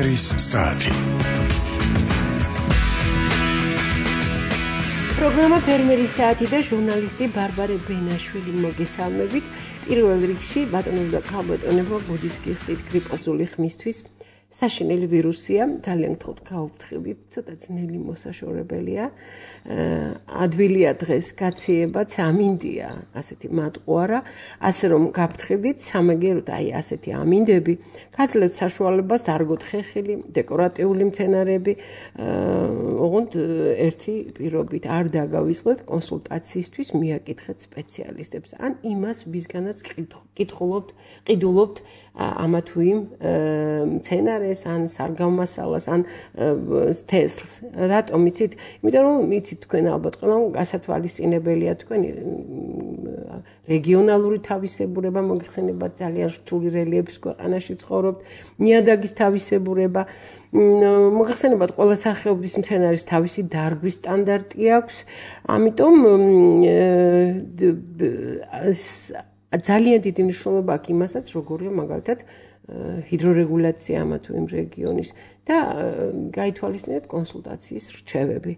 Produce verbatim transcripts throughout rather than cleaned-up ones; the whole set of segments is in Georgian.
ფერმერის საათი. პროგრამა ფერმერის საათი და ჟურნალისტი ბარბარე ბენაშვილი მოგესალმებით. პირველ რიგში ბატონებო და ქალბატონებო, ბუდის გიხდით გრიპოზული ხმისთვის. საშინელი ვირუსია, ძალიან გთხოვთ გაუფრთხილდით, ცოტა ძნელი მოსაშორებელია. ადვილია დღეს გაციებაც, ამინდია, ასეთი მატყუარა, ასე რომ გაფრთხილდით, სამაგეროთ აი ასეთი ამინდები, გაძლევთ საშუალებას დარგოთ ხეხილი, დეკორატიული მცენარეები, ოღონდ ერთი პირობით არ დაგავიწყდეთ კონსულტაციისთვის, მიაკითხეთ სპეციალისტებს, ან იმას, ვისგანაც კითხულობთ, ყიდულობთ ამა თუ იმ მცენარეს, ან სარგავმასალას, ან თესლს. რატომ იცით? იმიტომ რომ იცით თქვენ ალბათ ყველა გასათვალისწინებელია თქვენი რეგიონალური თავისებურება, მოგეხსენებათ ძალიან რთული რელიეფის ქვეყანაში ცხოვრობთ, ნიადაგის თავისებურება, მოგეხსენებათ ყველა სახეობის მცენარის თავისი დარგვის სტანდარტი აქვს, ამიტომ ძალიან დიდი მნიშვნელობა აქვს იმასაც, როგორია მაგალითად ჰიდრორეგულაცია ამა თუ იმ რეგიონის და გაითვალისწინეთ კონსულტაციის რჩევები.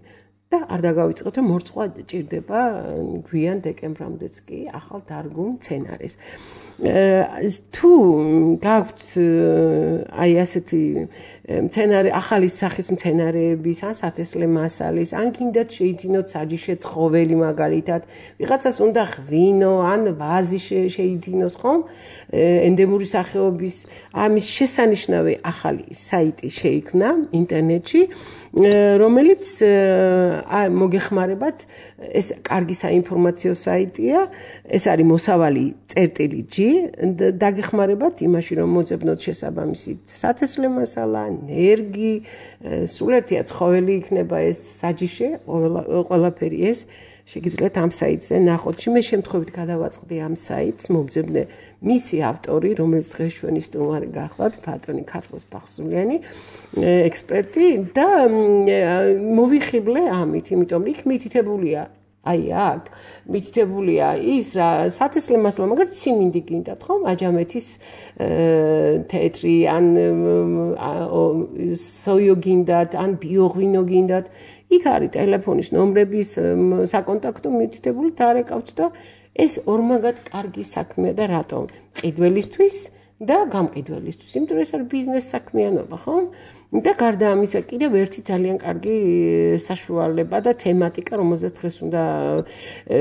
და არ დაგავიწყოთ, რომ მორცვა ჭირდება გვიან დეკემბრამდეც კი ახალ დარგულ მცენარეს. თუ გაქვთ აი ასეთი მცენარე, ახალი სახის მცენარეების, ან სათესლე მასალის, ან გინდათ შეიძინოთ საჯიში ცხოველი მაგალითად, ვიღაცას უნდა ღვინო, ან ვაზი შეიძინოს, ხომ? ენდემური სახეობის ამის შესანიშნავი ახალი საიტი შეიქმნა ინტერნეტში, რომელიც მოგეხმარებათ, ეს კარგი საინფორმაციო საიტია, ეს არის მოსავალი წერტილი G, დაგეხმარებათ იმაში, რომ მოძებნოთ შესაბამისი სათესლე მასალა, ნერგი, სულ ერთია ცხოველი იქნება ეს საჯიში, ყველაფერი ეს შეგიძლიათ ამ საიტზე ნახოთ. მე შემთხვევით გადავაწყდი ამ საიტს, მომძებნე მისი ავტორი, რომელიც დღეს ჩვენი სტუმარი გახლავთ, ბატონი ქართლოს ბახსულიანი, ექსპერტი და მოვიხიბლე ამით, იმიტომ იქ მითითებულია, აი აქ მითითებულია ის რა სათესლე მასალა, მაგათ სიმინდი გინდათ, ხომ? აჯამეთის თეთრი, ან სოიო გინდათ, ან ბიოღვინო გინდათ. იქ არის ტელეფონის ნომრების საკონტაქტო მითითებული დარეკავთ და ეს ორმაგად კარგი საქმეა და რატომ? ყიდველისთვის და გამყიდველისთვის. იმიტომ რომ ეს არის ბიზნეს საქმიანობა, ხო? და გარდა ამისა, კიდევ ერთი ძალიან კარგი საშუალება და თემატიკა, რომელზეც დღეს უნდა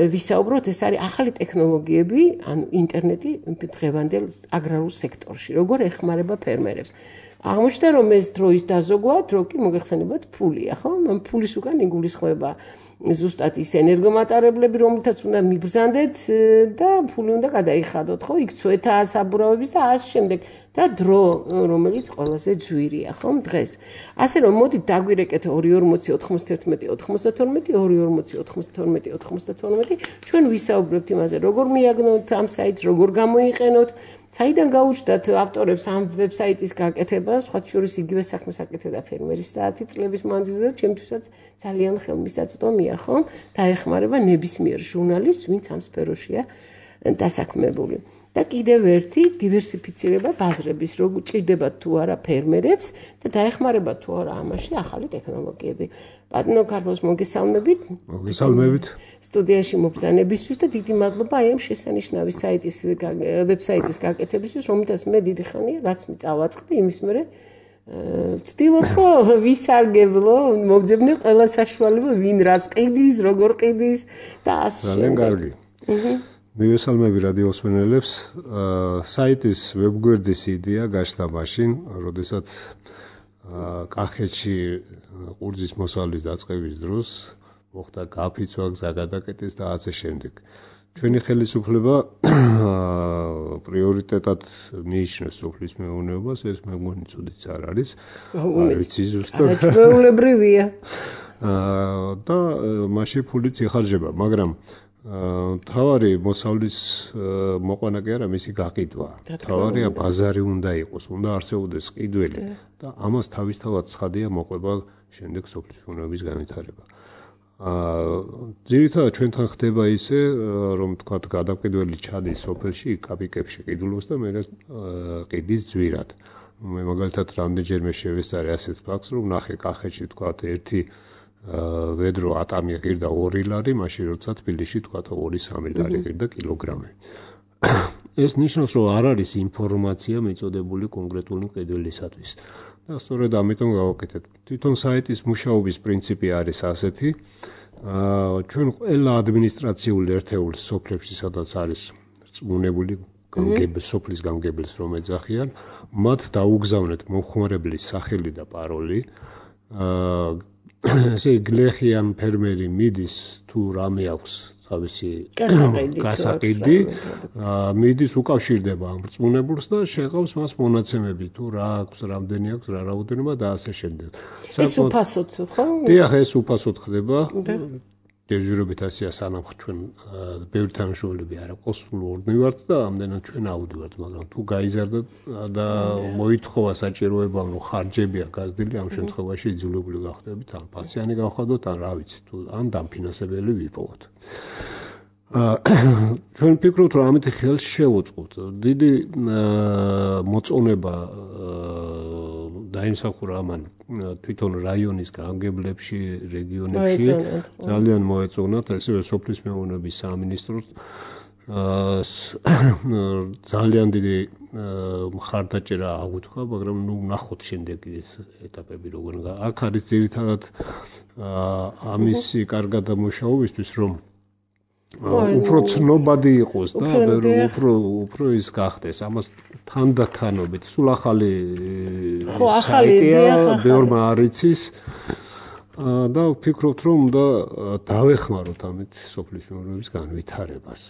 ვისაუბროთ, ეს არის ახალი ტექნოლოგიები, ანუ ინტერნეტი დღევანდელ აგრარულ სექტორში, როგორ ეხმარება ფერმერებს. აღმოჩნდა, რომ ეს დროის დაზოგვა, დრო კი მოგეხსენებათ ფულია, ხო? ფულის უკან იგულისხმება ზუსტად ის ენერგომატარებლები, რომელთაც უნდა მიბრძანდეთ და ფული უნდა გადაიხადოთ, ხო? იქ ცვეთა საბურავების და ასე შემდეგ და დრო, რომელიც ყველაზე ძვირია, ხო? დღეს. ასე რომ მოდით დაგვირეკეთ ორი ორმოცი ოთხმოცდაერთმეტი ოცდათორმეტი ორი ორმოცი ოთხმოცდათორმეტი ოცდათორმეტი ჩვენ ვისაუბრებთ იმაზე, როგორ მიაგნოთ ამ საიტს, როგორ გამოიყენოთ. საიდან გაუჩნდათ ავტორებს ამ ვებსაიტის გაკეთება, სხვა შორის იგივე საქმეს აკეთებდა ფერმერის საათი წლების მანძილზე და ჩემთვისაც ძალიან ხელმისაწვდომია, ხო? დაეხმარება ნებისმიერ ჟურნალისტს, ვინც ამ სფეროშია დასაქმებული. და კიდევ ერთი დივერსიფიცირება ბაზრების, როგორ ჭირდებათ თუ არა ფერმერებს და დაეხმარება თუ არა ამაში ახალი ტექნოლოგიები. ბატონო ქართლოს მოგესალმებით. მოგესალმებით. სტუდიაში მობრძანებისთვის და დიდი მადლობა აი ამ შესანიშნავი საიტის ვებსაიტის გაკეთებისთვის, რომელთაც მე დიდი ხანია რაც წავაწყდი, იმის მერე ვცდილობ ხო ვისარგებლო, მოგძებნე ყველა საშუალება, ვინ რას ყიდის, როგორ ყიდის და ასე შემდეგ. ძალიან კარგი. მივესალმები რადიოსმენელებს. საიტის ვებგვერდის იდეა გაჩნდა მაშინ, როდესაც კახეთში ყურძის მოსავლის დაწყების დროს მოხდა გაფიცვა, გზა გადაკეტეს და ასე შემდეგ. ჩვენი ხელისუფლება პრიორიტეტად მიიჩნევს სოფლის მეურნეობას, ეს მე მგონი ცუდიც არ არის. არ ვიცი ზუსტად. ჩვეულებრივია. და მაშინ ფულიც იხარჯება, მაგრამ თავარი მოსავლის მოყვანა კი არა, მისი გაყიდვა. თავარია ბაზარი უნდა იყოს, უნდა არსებობდეს ყიდველი და ამას თავისთავად ცხადია მოყვება შემდეგ სოფლის მეურნეობის განვითარება. ძირითადად ჩვენთან ხდება ისე, რომ თქვათ გადაყიდველი ჩადის სოფელში, კაპიკებში ყიდულობს და მე ყიდის ძვირად. მე მაგალითად რამდენჯერმე შევესწარე ასეთ ფაქტს, რომ ნახე კახეთში თქვა ერთი ვედრო ატამი ღირდა ორი ლარი, მაშინ როცა თბილისში თქვა ორი სამი ლარი ღირდა კილოგრამი. ეს ნიშნავს, რომ არ არის ინფორმაცია მიწოდებული კონკრეტული მყიდველისათვის. და სწორედ ამიტომ გავაკეთეთ. თვითონ საიტის მუშაობის პრინციპი არის ასეთი. ჩვენ ყველა ადმინისტრაციული ერთეულის სოფლებში, სადაც არის რწმუნებული გამგებელი სოფლის გამგებელს რომ ეძახიან, მათ დაუგზავნეთ მომხმარებლის სახელი და პაროლი. ესე გლეხიან ფერმერი მიდის თუ რამე აქვს თავისი გასაყიდი, მიდის უკავშირდება ამ რწმუნებულს და შეყავს მას მონაცემები თუ რა აქვს, რამდენი აქვს, რა რაოდენობა და ასე შემდეგ. ეს უფასოდ ხო? დიახ, ეს უფასოდ ხდება. დეჟურობით ასეა სანამ ჩვენ ბევრი თანამშრომლები არ აქვს, სულ ორნი ვართ და ამდენად ჩვენ ავდივართ, მაგრამ თუ გაიზარდა და მოითხოვა საჭიროება, რომ ხარჯებია გაზრდილი, ამ შემთხვევაში იძულებული გახდებით ან პასიანი გავხადოთ, ან რა ვიცი, თუ ან დამფინანსებელი ვიპოვოთ. ჩვენ ვფიქრობთ, რომ ამით ხელს შევუწყოთ. დიდი მოწონება დაიმსახურა ამან თვითონ რაიონის გამგებლებში, რეგიონებში ძალიან მოეწონათ, ასევე სოფლის მეურნეობის სამინისტროს ძალიან დიდი მხარდაჭერა აღუთქვა, მაგრამ ნუ ნახოთ შემდეგი ეს ეტაპები როგორ. აქ არის ძირითადად ამისი კარგად დამუშავებისთვის, რომ უფრო ცნობადი იყოს და უფრო უფრო ის გახდეს. ამას თანდათანობით სულ ახალი საიტია, ბევრმა არ იცის და ვფიქრობთ, რომ უნდა დავეხმაროთ ამით სოფლის მეურნეობის განვითარებას.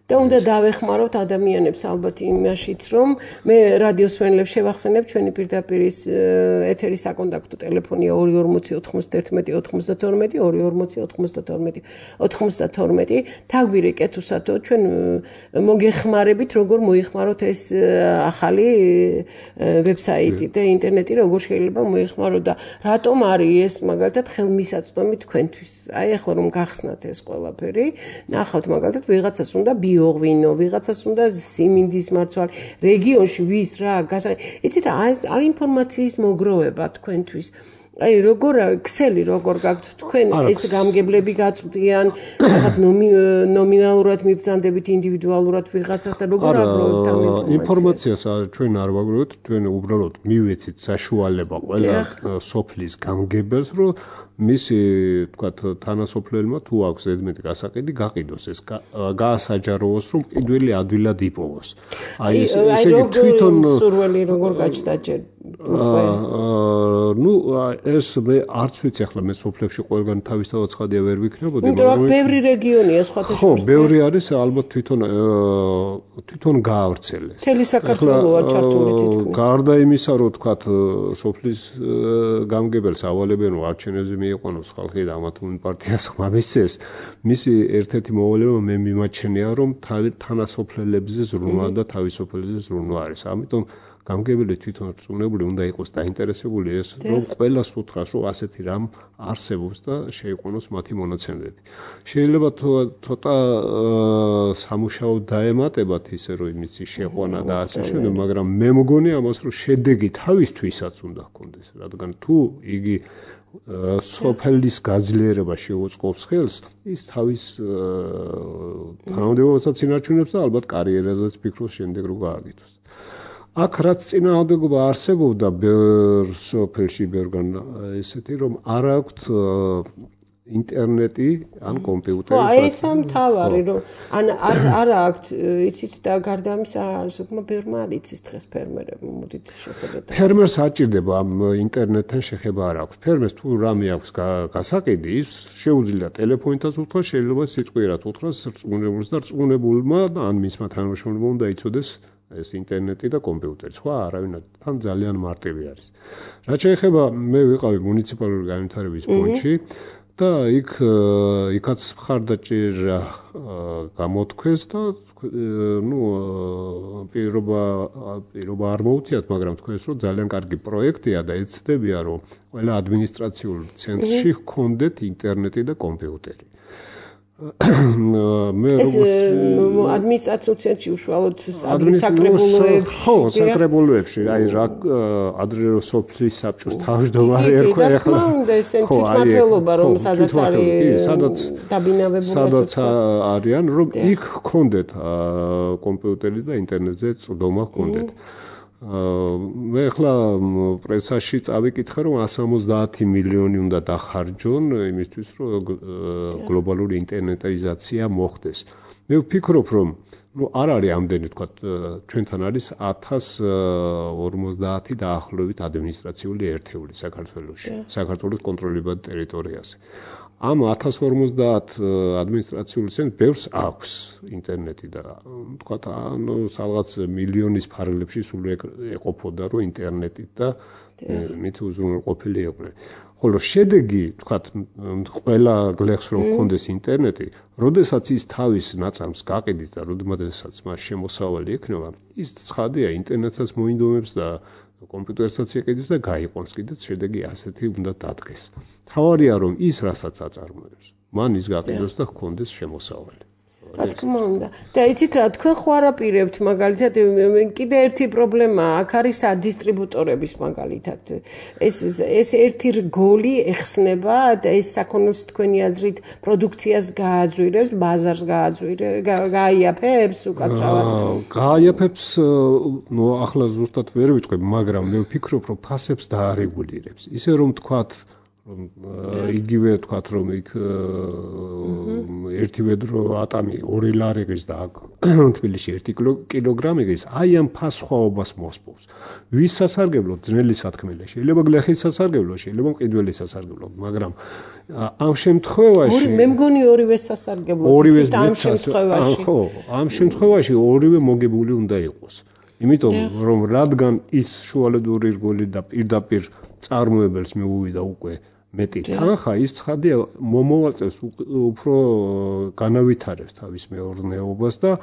და უნდა დავეხმაროთ ადამიანებს ალბათ იმაშიც, რომ მე რადიოს მენლებს შევახსენებ, ჩვენი პირდაპირ ეთერის საკონტაქტო ტელეფონია ორი ორმოცი ოთხმოცდაერთმეტი ოცდათორმეტი ორი ორმოცი ოთხმოცდათორმეტი ოცდათორმეტი. თაგვირი კეთუსათო ჩვენ მოგეხმარებით, როგორ მოიხმაროთ ეს ახალი ვებსაიტი და ინტერნეტი როგორ შეიძლება მოიხმაროთ და რატომ არის ეს მაგალითად ხელმისაწვდომი თქვენთვის. აი ახლა რომ გახსნათ ეს ყველაფერი, ნახავთ მაგალითად ვიღაცას უნდა ბიოღვინო, ვიღაცას უნდა სიმინდის მარცვალი, რეგიონში ვის რა გასა. იცით რა, აი ინფორმაციის მოგროვება თქვენთვის. აი როგორ ქსელი როგორ გაქვთ თქვენ ეს გამგებლები გაწვდიან, რაღაც ნომინალურად მიბრძანდებით ინდივიდუალურად ვიღაცას და როგორ აგროვებთ ამ ინფორმაციას ჩვენ არ ვაგროვებთ, ჩვენ უბრალოდ მივეცით საშუალება ყველა სოფლის გამგებელს, რომ მისი თქვათ თანასოფლელმა თუ აქვს ზედმეტი გასაყიდი გაყიდოს ეს გაასაჯაროოს, რომ ყიდველი ადვილად იპოვოს. აი ესე იგი თვითონ სურველი როგორ გაჩნდა ჯერ ნუ ეს მე არც ვიცი ახლა მე სოფლებში ყველგან თავისთავად ცხადია ვერ ვიქნებოდი, მაგრამ ბევრი რეგიონია სხვათა ხო, ბევრი არის ალბათ თვითონ თვითონ გაავრცელეს. მთელი საქართველოა ჩართული თითქმის. გარდა იმისა, რომ თქვათ სოფლის გამგებელს ავალებენ, რომ არჩევნებზე მიიყვანოს ხალხი და ამათ პარტიას ხმამისცეს, მისი ერთ-ერთი მოვალეობა მე მიმაჩნია, რომ თანასოფლელებზე ზრუნვა და თავისუფლებზე ზრუნვა არის. ამიტომ გამგებელი თვითონ რწმუნებული უნდა იყოს დაინტერესებული ეს, რომ ყველას უთხრას, რომ ასეთი რამ არსებობს და შეიყვანოს მათი მონაცემები. შეიძლება ცოტა სამუშაო დაემატებათ ისე, რომ იმისი შეყვანა და ასე შემდეგ, მაგრამ მე მგონი ამას, რომ შედეგი თავისთვისაც უნდა ჰქონდეს, რადგან თუ იგი სოფლის გაძლიერება შეუწყობს ხელს, ის თავის თანამდებობასაც ინარჩუნებს და ალბათ კარიერაზეც ფიქრობს შემდეგ რომ გააკეთოს. აქ რაც წინააღმდეგობა არსებობდა ბევრ სოფელში, ბევრგან ესეთი, რომ არ აქვთ ინტერნეტი ან კომპიუტერი. ხო, ეს ამთავარი, რომ ან არ აქვთ, იცით და გარდა ამისა, ზოგმა ბევრმა არ იცის დღეს ფერმერებმა, მოდით შეხედოთ. ფერმერს აჭირდება ამ ინტერნეტთან შეხება არ აქვს. ფერმერს თუ რამე აქვს გასაყიდი, ის შეუძლია ტელეფონითაც უთხრას, შეიძლება სიტყვიერად უთხრას რწმუნებულს და რწმუნებულმა ან მისმა თანამშრომლებმა უნდა იცოდეს ეს ინტერნეტი და კომპიუტერი. სხვა არავინ თან ძალიან მარტივი არის. რაც შეეხება მე ვიყავი მუნიციპალური განვითარების ფონდში და იქ იქაც მხარდაჭერა გამოთქვეს და ნუ პირობა პირობა არ მოუწიათ, მაგრამ თქვენს რომ ძალიან კარგი პროექტია და ეცდებია რომ ყველა ადმინისტრაციულ ცენტრში ჰქონდეთ ინტერნეტი და კომპიუტერი. მე როგორც ადმინისტრაციულ ცენტრში უშუალოდ საკრებულოებში ხო საკრებულოებში აი რა ადრე სოფლის საბჭოს თავმჯდომარე ერქვა ახლა ხო აი თვითმმართველობა რომ სადაც არის სადაც დაბინავებული სადაც არიან რომ იქ გქონდეთ კომპიუტერი და ინტერნეტზე წვდომა გქონდეთ მე ახლა პრესაში წავიკითხე რომ εκατს ორმოცდაათი მილიონი უნდა დახარჯონ იმისთვის რომ გლობალური ინტერნეტიზაცია მოხდეს მე ვფიქრობ რომ ну არ არის ამდენი თქვა ჩვენთან არის ათას ორმოცდაათი დაახლოებით ადმინისტრაციული ერთეული საქართველოში საქართველოს კონტროლებად ტერიტორიაზე ამ ათას ორმოცდაათ ადმინისტრაციულ ცენტრს ბევრს აქვს ინტერნეტი და თქვა ანუ რაღაც მილიონის ფარგლებში სულ ეყოფოდა რომ ინტერნეტით და მით უზრუნველყოფილი იყვნენ ხოლო შედეგი თქვა ყველა გლეხს რომ ჰქონდეს ინტერნეტი როდესაც ის თავის ნაწამს გაყიდით და როდესაც მას შემოსავალი ექნება ის ცხადია ინტერნეტსაც მოინდომებს და კომპიუტერსაც ეკიდეს და გაიყვანს კიდეც შედეგი ასეთი უნდა დადგეს. თავარია რომ ის რასაც აწარმოებს, მან ის გაყიდოს და ჰქონდეს შემოსავალი. რა თქმა უნდა. და იცით რა, თქვენ ხო არაპირებთ მაგალითად კიდე ერთი პრობლემა აქ არის ადისტრიბუტორების მაგალითად. ეს ეს ერთი რგოლი ეხსნება და ეს საქონელს თქვენი აზრით პროდუქციას გააძვირებს, ბაზარს გააძვირებს, გააიაფებს უკაცრავად. გააიაფებს, ნუ ახლა ზუსტად ვერ ვიტყვი, მაგრამ მე ვფიქრობ, რომ ფასებს დაარეგულირებს. ისე რომ თქვათ რომ იგივე თქვათ რომ იქ ერთი ვედრო ატამი ორი ლარიგის და თბილისში ერთი კილოგრამი ის აი ამ ფას სხვაობას მოსპობს. ვის სასარგებლოდ ძნელი სათქმელი შეიძლება გლეხის სასარგებლოდ შეიძლება მყიდველი სასარგებლოდ მაგრამ ამ შემთხვევაში მე მგონი ორივე სასარგებლოდ ამ შემთხვევაში ხო ამ შემთხვევაში ორივე მოგებული უნდა იყოს. იმიტომ რომ რადგან ის შუალედური რგოლი და პირდაპირ წარმოებელს მიუვიდა უკვე მეტი თანხა ის ცხადია მომოვალწევს უფრო განავითარებს თავის მეურნეობას და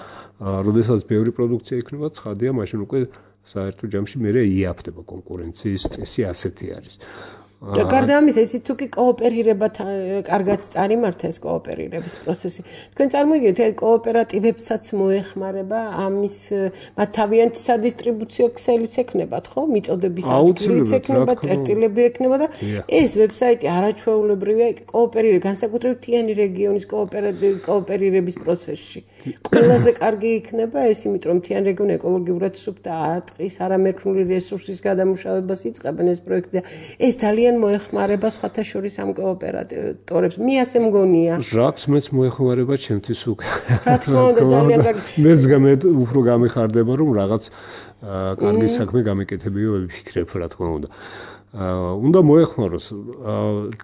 როდესაც ბევრი პროდუქცია იქნება ცხადია მაშინ უკვე საერთო ჯამში მერე იაფდება კონკურენციის წესი ასეთი არის და გარდა ამისა იცით თუ კი კოოპერირება კარგად წარიმართა ეს კოოპერირების პროცესი თქვენ წარმოგიდგენთ ეს კოოპერატივებსაც მოეხმარება ამის მათ თავიანთი სადისტრიბუციო ქსელიც ექნებათ ხო მიწოდების ადგილიც ექნება წერტილები ექნება და ეს ვებსაიტი არაჩვეულებრივია კოოპერირება განსაკუთრებით მთიანი რეგიონის კოოპერირების პროცესში ყველაზე კარგი იქნება ეს იმიტომ რომ მთიანი რეგიონი ეკოლოგიურად სუფთა ატყის არამერქნული რესურსის გადამუშავებას იწყებენ ეს პროექტი და ეს ძალიან მოეხმარება სხვათა შორის ამ კოოპერატორებს. მე ასე მგონია. რაც მეც მოეხმარება ჩემთვის უკვე. რა თქმა უნდა ძალიან კარგი. მეც გამეთ უფრო გამიხარდება რომ რაღაც კარგი საქმე გამეკეთებიო ვიფიქრებ რა თქმა უნდა. უნდა მოეხმაროს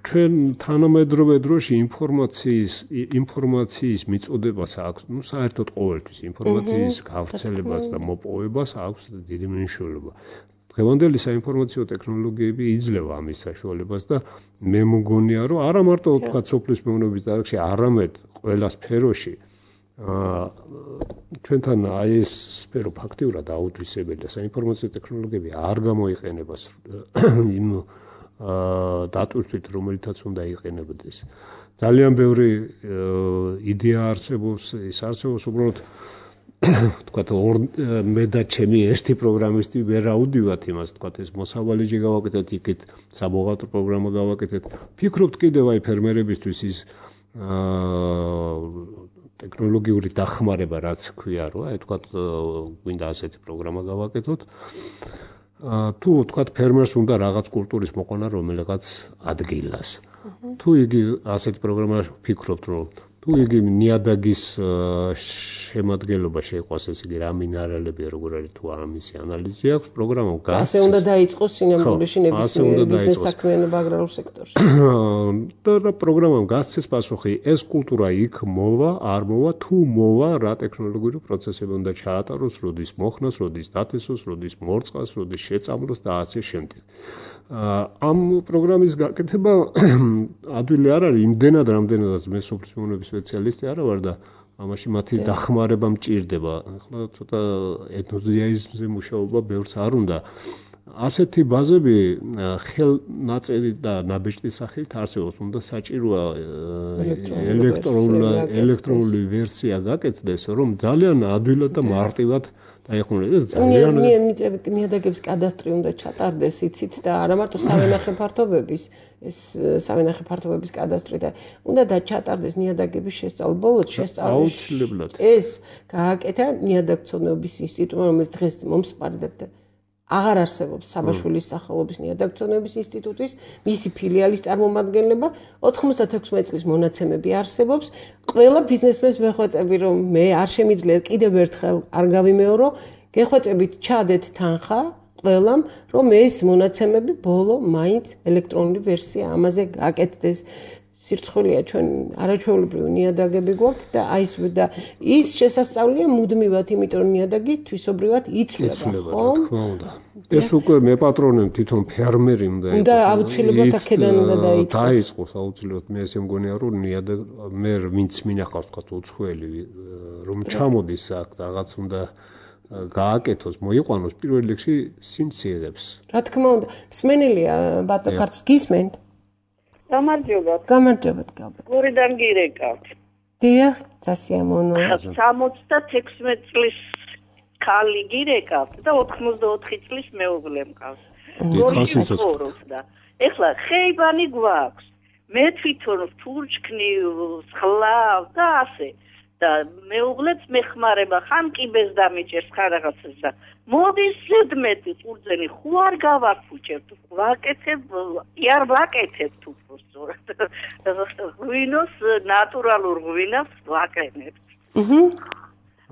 ჩვენ თანამედროვე დროში ინფორმაციის ინფორმაციის მიწოდებას აქვს ნუ საერთოდ ყოველთვის ინფორმაციის გავრცელებას და მოპოვებას აქვს დიდი მნიშვნელობა. დღევანდელი საინფორმაციო ტექნოლოგიები იძლევა ამის საშუალებას და მე მგონია რომ არა მარტო თქვა სოფლის მეურნეობის დარგში, არამედ ყველა სფეროში აა ჩვენთან აი ეს სფერო ფაქტიურად აუთვისებელია. საინფორმაციო ტექნოლოგიები არ გამოიყენება იმ აა დატვირთვით, რომელიცაც უნდა იყენებდეს. ძალიან ბევრი იდეა არსებობს, ის არსებობს უბრალოდ თქვათ მე და ჩემი ერთი პროგრამისტი ვერ აუდივათ იმას თქვათ ეს მოსავალეჯი გავაკეთეთ იქით საბუღალტრო პროგრამა გავაკეთეთ ფიქრობთ კიდევ აი ფერმერებისთვის ის ტექნოლოგიური დახმარება რაც ქვია რომ აი თქვათ გვინდა ასეთი პროგრამა გავაკეთოთ თუ თქვათ ფერმერს უნდა რაღაც კულტურის მოყვანა რომელიღაც ადგილას თუ იგი ასეთი პროგრამა ფიქრობთ რომ თუ იგი ნიადაგის შემადგენლობა შეიყვას ეს იგი რა მინერალებია როგორ არის თუ ამისი ანალიზი აქვს პროგრამა გასცეს ასე უნდა დაიწყოს სინამდვილეში ნებისმიერ ბიზნეს საქმიანობა აგრარულ სექტორში და პროგრამამ გასცეს პასუხი ეს კულტურა იქ მოვა არ მოვა თუ მოვა რა ტექნოლოგიური პროცესები უნდა ჩაატაროს როდის მოხნას როდის დათესოს როდის მორწყას როდის შეწამლოს და ასე შემდეგ ამ პროგრამის გაკეთება ადვილი არ არის იმდენად რამდენადაც მე სოფლის მეურნეობის სპეციალისტი არა ვარ და ამაში მათი დახმარება მჭირდება. ახლა ცოტა ეთნოზიაიზმზე მუშაობა ბევრს არ უნდა. ასეთი ბაზები ხელნაწერი და ნაბეჭდის სახელით არსებობს, უნდა საჭიროა ელექტრონული ელექტრონული ვერსია გაკეთდეს, რომ ძალიან ადვილად და მარტივად დაეხმაროს. ძალიან ნიადაგების კადასტრი უნდა ჩატარდეს, იცით და არა მარტო სავენახე ფართობების, ეს სავენახე ფართობების კადასტრი და უნდა დაჩატარდეს ნიადაგების შესწავლა. ბოლოს შესწავლა ეს გააკეთა ნიადაგცოდნეობის ინსტიტუტმა, რომელიც დღეს მომსპარდა და აღარ არსებობს საბაშვილის სახელობის ნიადაგცოდნეობის ინსტიტუტის, მისი ფილიალის წარმომადგენლება, ოთხმოცდათექვსმეტ წლის მონაცემები არსებობს. ყველა ბიზნესმენს ვეხვეწები, რომ მე არ შემიძლია კიდევ ერთხელ არ გავიმეორო, გეხვეწებით ჩადეთ თანხა ყველამ, რომ ეს მონაცემები ბოლო მაინც ელექტრონული ვერსია ამაზე გაკეთდეს. სირცხვილია ჩვენ არაჩვეულებრივი ნიადაგები გვაქვს და აი ეს და ის შესასწავლია მუდმივად, იმიტომ რომ ნიადაგი თვისობრივად იცვლება, ხო? ეს უკვე მე პატრონემ თვითონ ფერმერი უნდა იყოს. და აუცილებლად აქედან უნდა დაიწყოს. დაიწყოს აუცილებლად. მე ესე მგონია რომ ნიადაგ მე ვინც მინახავს თქვა უცხოელი რომ ჩამოდის აქ რაღაც უნდა გააკეთოს, მოიყვანოს პირველ რიგში სინციერებს. რა თქმა უნდა, მსმენელია ბატონო ქართლს გისმენთ? გამარჯობათ. გამარჯობათ, გალბა. გორიდან გირეკავთ. დიახ, სასიამოვნოა. სამოცდათექვსმეტ წლის ქალი გირეკავთ და ოთხმოცდაოთხი წლის მეუღლე მყავს. გორში ცხოვრობს და ეხლა ხეიბანი გვაქვს. მე თვითონ თურჩქნი, სხლავ და ასე. და მეუღლეც მეხმარება, ხან კიბეს დამიჭერს ხან რაღაცას და მოდის ზედმეტი ყურძენი ხო არ გავარფუჭებთ, ვაკეთებ, იარ ვაკეთებთ უბრალოდ. ღვინოს ნატურალურ ღვინოს ვაკეთებთ. აჰა.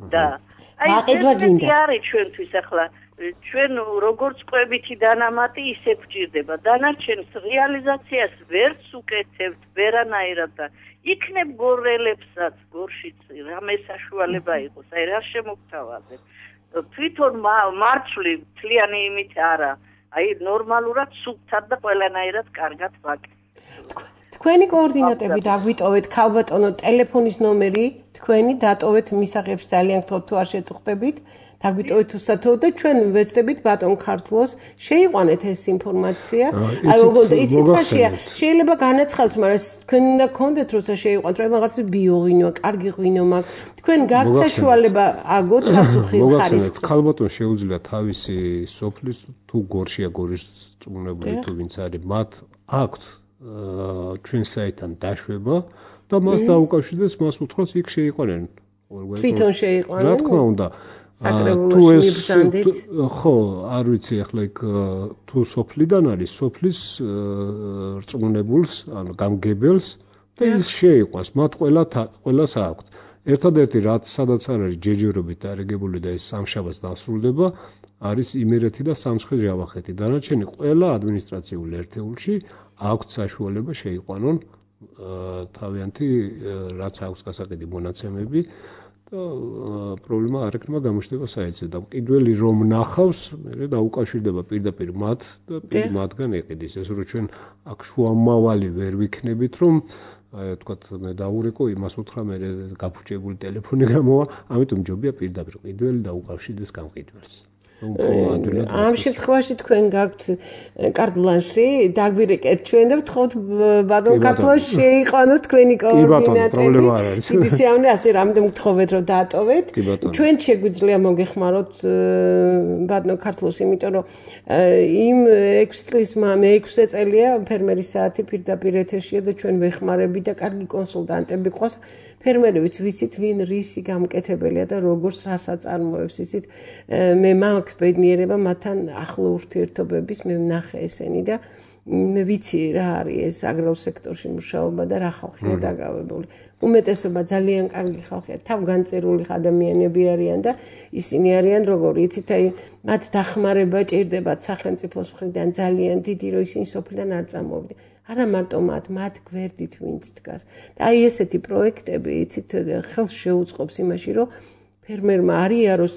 და აი ეს არის ჩვენთვის ახლა ჩვენ როგორც კვებითი დანამატი ისე გვჭირდება. დანარჩენს რეალიზაციას ვერც უკეთებთ ვერანაირად და იქნებ გორელებსაც გორშიც რამე საშუალება იყოს, აი რა შემოგთავაზეთ. თვითონ მარცვლი თლიანი იმით არა, აი ნორმალურად სუფთად და ყველანაირად კარგად ვაკეთებ. თქვენი კოორდინატები დაგვიტოვეთ, ქალბატონო, ტელეფონის ნომერი თქვენი დატოვეთ მისაღებში ძალიან გთხოვთ თუ არ შეწუხდებით. დაგვიტოვეთ უსათოოდ და ჩვენ ვეცდებით ბატონ ქართლოს შეიყვანეთ ეს ინფორმაცია. აი იცით რაშია, შეიძლება განაცხადოს, მაგრამ თქვენ უნდა გქონდეთ როცა შეიყვანთ, რომ რაღაც ბიოღვინოა, კარგი ღვინო მაქვს. თქვენ გაქვთ საშუალება აგოთ პასუხი ხარისხს. ქალბატონ შეუძლია თავისი სოფლის თუ გორშია გორის წუნებული თუ ვინც არის, მათ აქვთ ჩვენ საიტთან დაშვება და მას დაუკავშირდეს, მას უთხრას იქ შეიყვანენ. თვითონ შეიყვანენ. რა თქმა უნდა. თუ ეს ხო, არ ვიცი ახლა იქ თუ სოფლიდან არის, სოფლის რწმუნებულს, ანუ გამგებელს და ის შეიყვანს, მათ ყველა ყველას აქვთ. ერთადერთი რაც სადაც არ არის ჯეჯერობით დარეგებული და ეს სამშაბათს დასრულდება, არის იმერეთი და სამცხე-ჯავახეთი. დანარჩენი ყველა ადმინისტრაციულ ერთეულში აქვთ საშუალება შეიყვანონ თავიანთი რაც აქვს გასაყიდი მონაცემები და პრობლემა არ ექნება გამოჩნდება საიტზე და კიდველი რომ ნახავს, მე დაუკავშირდება პირდაპირ მათ და პირ მათგან ეყიდის. ეს რო ჩვენ აქ შუამავალი ვერ ვიქნებით, რომ აი თქვათ მე დაურეკო, იმას უთხრა, მე გაფუჭებული ტელეფონი გამოვა, ამიტომ ჯობია პირდაპირ კიდველი დაუკავშირდეს გამყიდველს. ამ შემთხვევაში თქვენ გაქვთ კარტ ბლანში, დაგვირეკეთ ჩვენ და ვთხოვთ ბატონ ქართლოს შეიყვანოს თქვენი კოორდინატები. დიდი სიამოვნე, ასე რამდენ გთხოვეთ რომ დაატოვეთ. ჩვენ შეგვიძლია მოგეხმაროთ ბატონ ქართლოს, იმიტომ რომ იმ ექვსი წლის მე ექვსი წელია ფერმერის საათი პირდაპირ ეთერშია და ჩვენ ვეხმარები და კარგი კონსულტანტები ყავს. ფერმერებიც ვიცით ვინ რისი გამკეთებელია და როგორც რას აწარმოებს, იცით მე მაქვს ბედნიერება მათთან ახლო ურთიერთობების, მე ვნახე ესენი და მე ვიცი რა არის ეს აგრარულ სექტორში მუშაობა და რა ხალხია დაკავებული. უმეტესობა ძალიან კარგი ხალხია, თავგანწირული ადამიანები არიან და ისინი არიან როგორი, იცით აი მათ დახმარება ჭირდებათ სახელმწიფოს მხრიდან ძალიან დიდი, რომ ისინი სოფლიდან არ წამოვიდნენ. არა მარტო მათ, მათ გვერდით ვინც დგას. და აი ესეთი პროექტები, იცით, ხელს შეუწყობს იმაში, რომ ფერმერმა არ იაროს,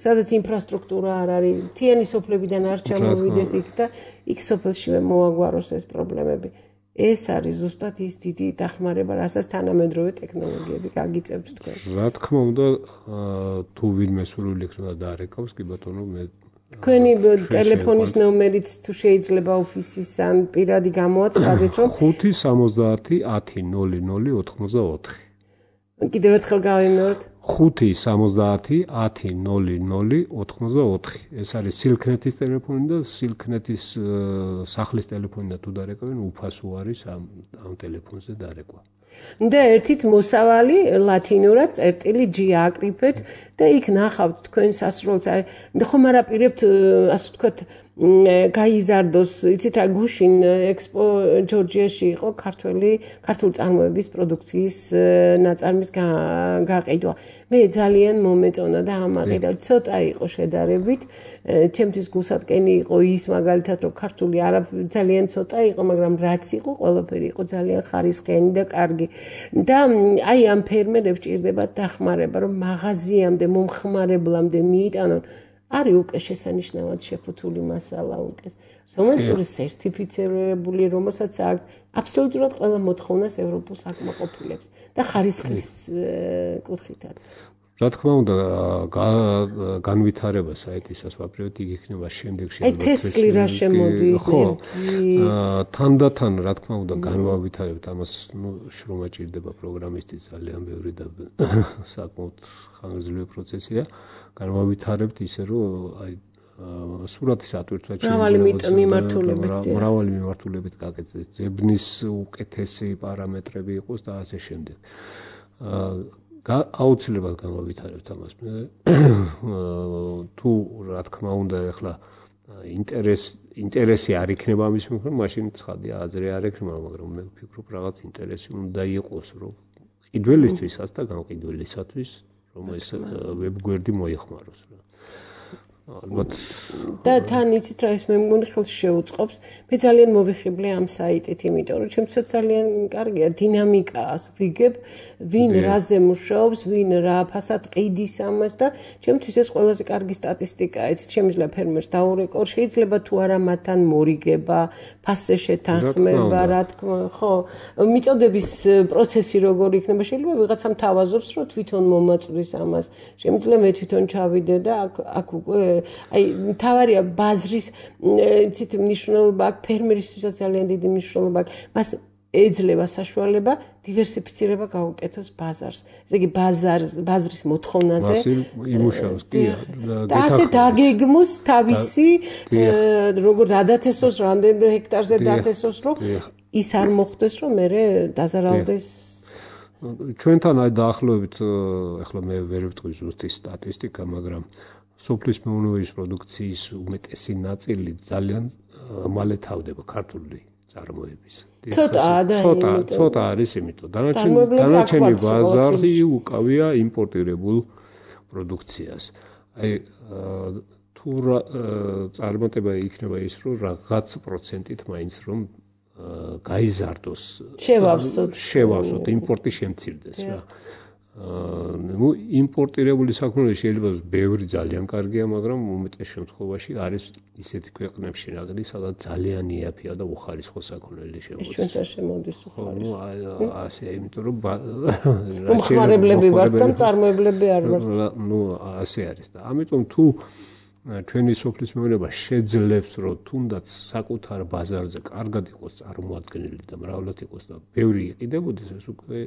სადაც ინფრასტრუქტურა არ არის, მთიანი სოფლებიდან არ ჩამოვიდეს იქ და იქ სოფელშივე მოაგვაროს ეს პრობლემები. ეს არის ზუსტად ის დიდი დახმარება, რასაც თანამედროვე ტექნოლოგიები გაგიწევს თქვენ. რა თქმა უნდა, თუ ვინმე სრულიად უნდა დაარეკავს, კი ბატონო, მე თქვენი ტელეფონის ნომერიც თუ შეიძლება ოფისის ან პირადი გამოაცხადეთ რომ ხუთი სამოცდაათი ათი ნული ნული ოთხმოცდაოთხი. კიდევ ერთხელ გავიმეორებ. ხუთი სამოცდაათი ათი ნული ნული ოთხმოცდაოთხი. ეს არის სილქნეთის ტელეფონი და სილქნეთის სახლის ტელეფონი და თუ დარეკავენ უფასო არის ამ ამ ტელეფონზე დარეკვა. და ერთით მოსავალი ლათინურად წერტილი G აკრიფეთ და იქ ნახავთ თქვენ სასროლს. და ხომ არ აპირებთ ასე ვთქვათ გაიზარდოს, იცით რა გუშინ ექსპო ჯორჯიაში იყო ქართველი ქართული წარმოების პროდუქციის ნაწარმის გაყიდვა. მე ძალიან მომეწონა და ამაყიდა ცოტა იყო შედარებით. ჩემთვის გულსატკენი იყო ის მაგალითად რომ ქართული არა ძალიან ცოტა იყო, მაგრამ რაც იყო ყველაფერი იყო ძალიან ხარისხიანი და კარგი. და აი ამ ფერმერებს ჭირდებათ დახმარება რომ მაღაზიამდე მომხმარებლამდე მიიტანონ. არის უკვე შესანიშნავად შეფუთული მასალა უკეს. სომენცური სერტიფიცირებული, რომელსაც აქვს აბსოლუტურად ყველა მოთხოვნას ევროპულ საკმაყოფილებს და ხარისხის კუთხითაც. რა თქმა უნდა, განვითარება საიტისას ვაპირებთ, იქ იქნება შემდეგში. აი თესლი რა შემოდის, ხო. თანდათან, რა თქმა უნდა, განვავითარებთ ამას, ნუ შრომა ჭირდება პროგრამისტის ძალიან ბევრი და საკმაოდ ხანგრძლივი პროცესია. განვავითარებთ ისე რომ აი სურათის ატვირთვა მრავალი მიმართულებით მრავალი მიმართულებით გაკეთდეს, ძებნის უკეთესი პარამეტრები იყოს და ასე შემდეგ. აუცილებლად განვავითარებთ ამას. თუ რა თქმა უნდა ეხლა ინტერესი ინტერესი არ იქნება ამის მიმართ, მაშინ ცხადია აზრი არ ექნება, მაგრამ მე ვფიქრობ რაღაც ინტერესი უნდა იყოს, რომ ყიდველისთვისაც და გამყიდველისათვის რომ ეს ვებგვერდი მოიხმაროს რა. ალბათ და თან იცით რა ეს მე მგონი ხელს შეუწყობს. მე ძალიან მოვიხიბლე ამ საიტით, იმიტომ რომ ჩემთვის ძალიან კარგია დინამიკას ვიგებ, ვინ რაზე მუშაობს, ვინ რა ფასად ყიდის ამას და ჩემთვის ეს ყველაზე კარგი სტატისტიკაა. იცით შემიძლია ფერმერს დაურეკო, შეიძლება თუ არა მათთან მორიგება, ფასზე შეთანხმება, რა თქმა, ხო, მიწოდების პროცესი როგორ იქნება, შეიძლება ვიღაცამ თავაზობს, რომ თვითონ მომაწვდის ამას. შემიძლია მე თვითონ ჩავიდე და აქ აქ უკვე აი თავარია ბაზრის იცით მნიშვნელობა აქვს ფერმერისთვისაც ძალიან დიდი მნიშვნელობა აქვს. მას ეძლევა საშუალება დივერსიფიცირება გაუკეთოს ბაზარს. ესე იგი ბაზარს ბაზრის მოთხოვნაზე იმუშავს კი და ასე დაგეგმოს თავისი როგორ დადათესოს რამდენ ჰექტარზე დათესოს რომ ის არ მოხდეს რომ მე დაზარავდეს ჩვენთან აი დაახლოებით ახლა მე ვერ ვიტყვი ზუსტი სტატისტიკა, მაგრამ სოფლის მეურნეობის პროდუქციის უმეტესი ნაწილი ძალიან მალე თავდება ქართული წარმოების. ცოტა ცოტა ცოტა არის, იმიტომ დანარჩენი ბაზარი უკავია იმპორტირებულ პროდუქციას. აი თუ წარმატება იქნება ის, რომ რაღაც პროცენტით მაინც რომ გაიზარდოს, შევავსოთ, შევავსოთ, იმპორტი შემცირდეს რა. ნუ იმპორტირებული საქმე შეიძლება ბევრი ძალიან კარგია, მაგრამ უმეტეს შემთხვევაში არის ისეთი ქვეყნებში რაღაც, სადაც ძალიან იაფია და უხარისხო საქონელი შემოდის. ჩვენთან შემოდის უხარისხო. ნუ ასე, იმიტომ რომ მომხმარებლები ვართ და მწარმოებლები არ ვართ. ნუ ასე არის და ამიტომ თუ ჩვენი სოფლის მეურნეობა შეძლებს, რომ თუნდაც საკუთარ ბაზარზე კარგად იყოს წარმოადგენილი და მრავლად იყოს და ბევრი იყიდებოდეს, ეს უკვე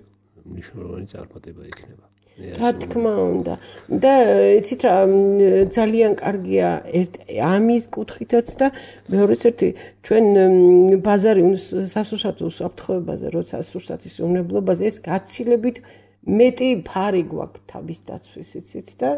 მნიშვნელოვანი წარმატება იქნება. რა თქმა უნდა. და იცით რა ძალიან კარგია ამის კუთხითაც და მეორეც ერთი ჩვენ ბაზარი სასურსათო უსაფრთხოებაზე, როცა სასურსათის უნებლობაზე ეს გაცილებით მეტი ფარი გვაქვს თავის დაცვის იცით და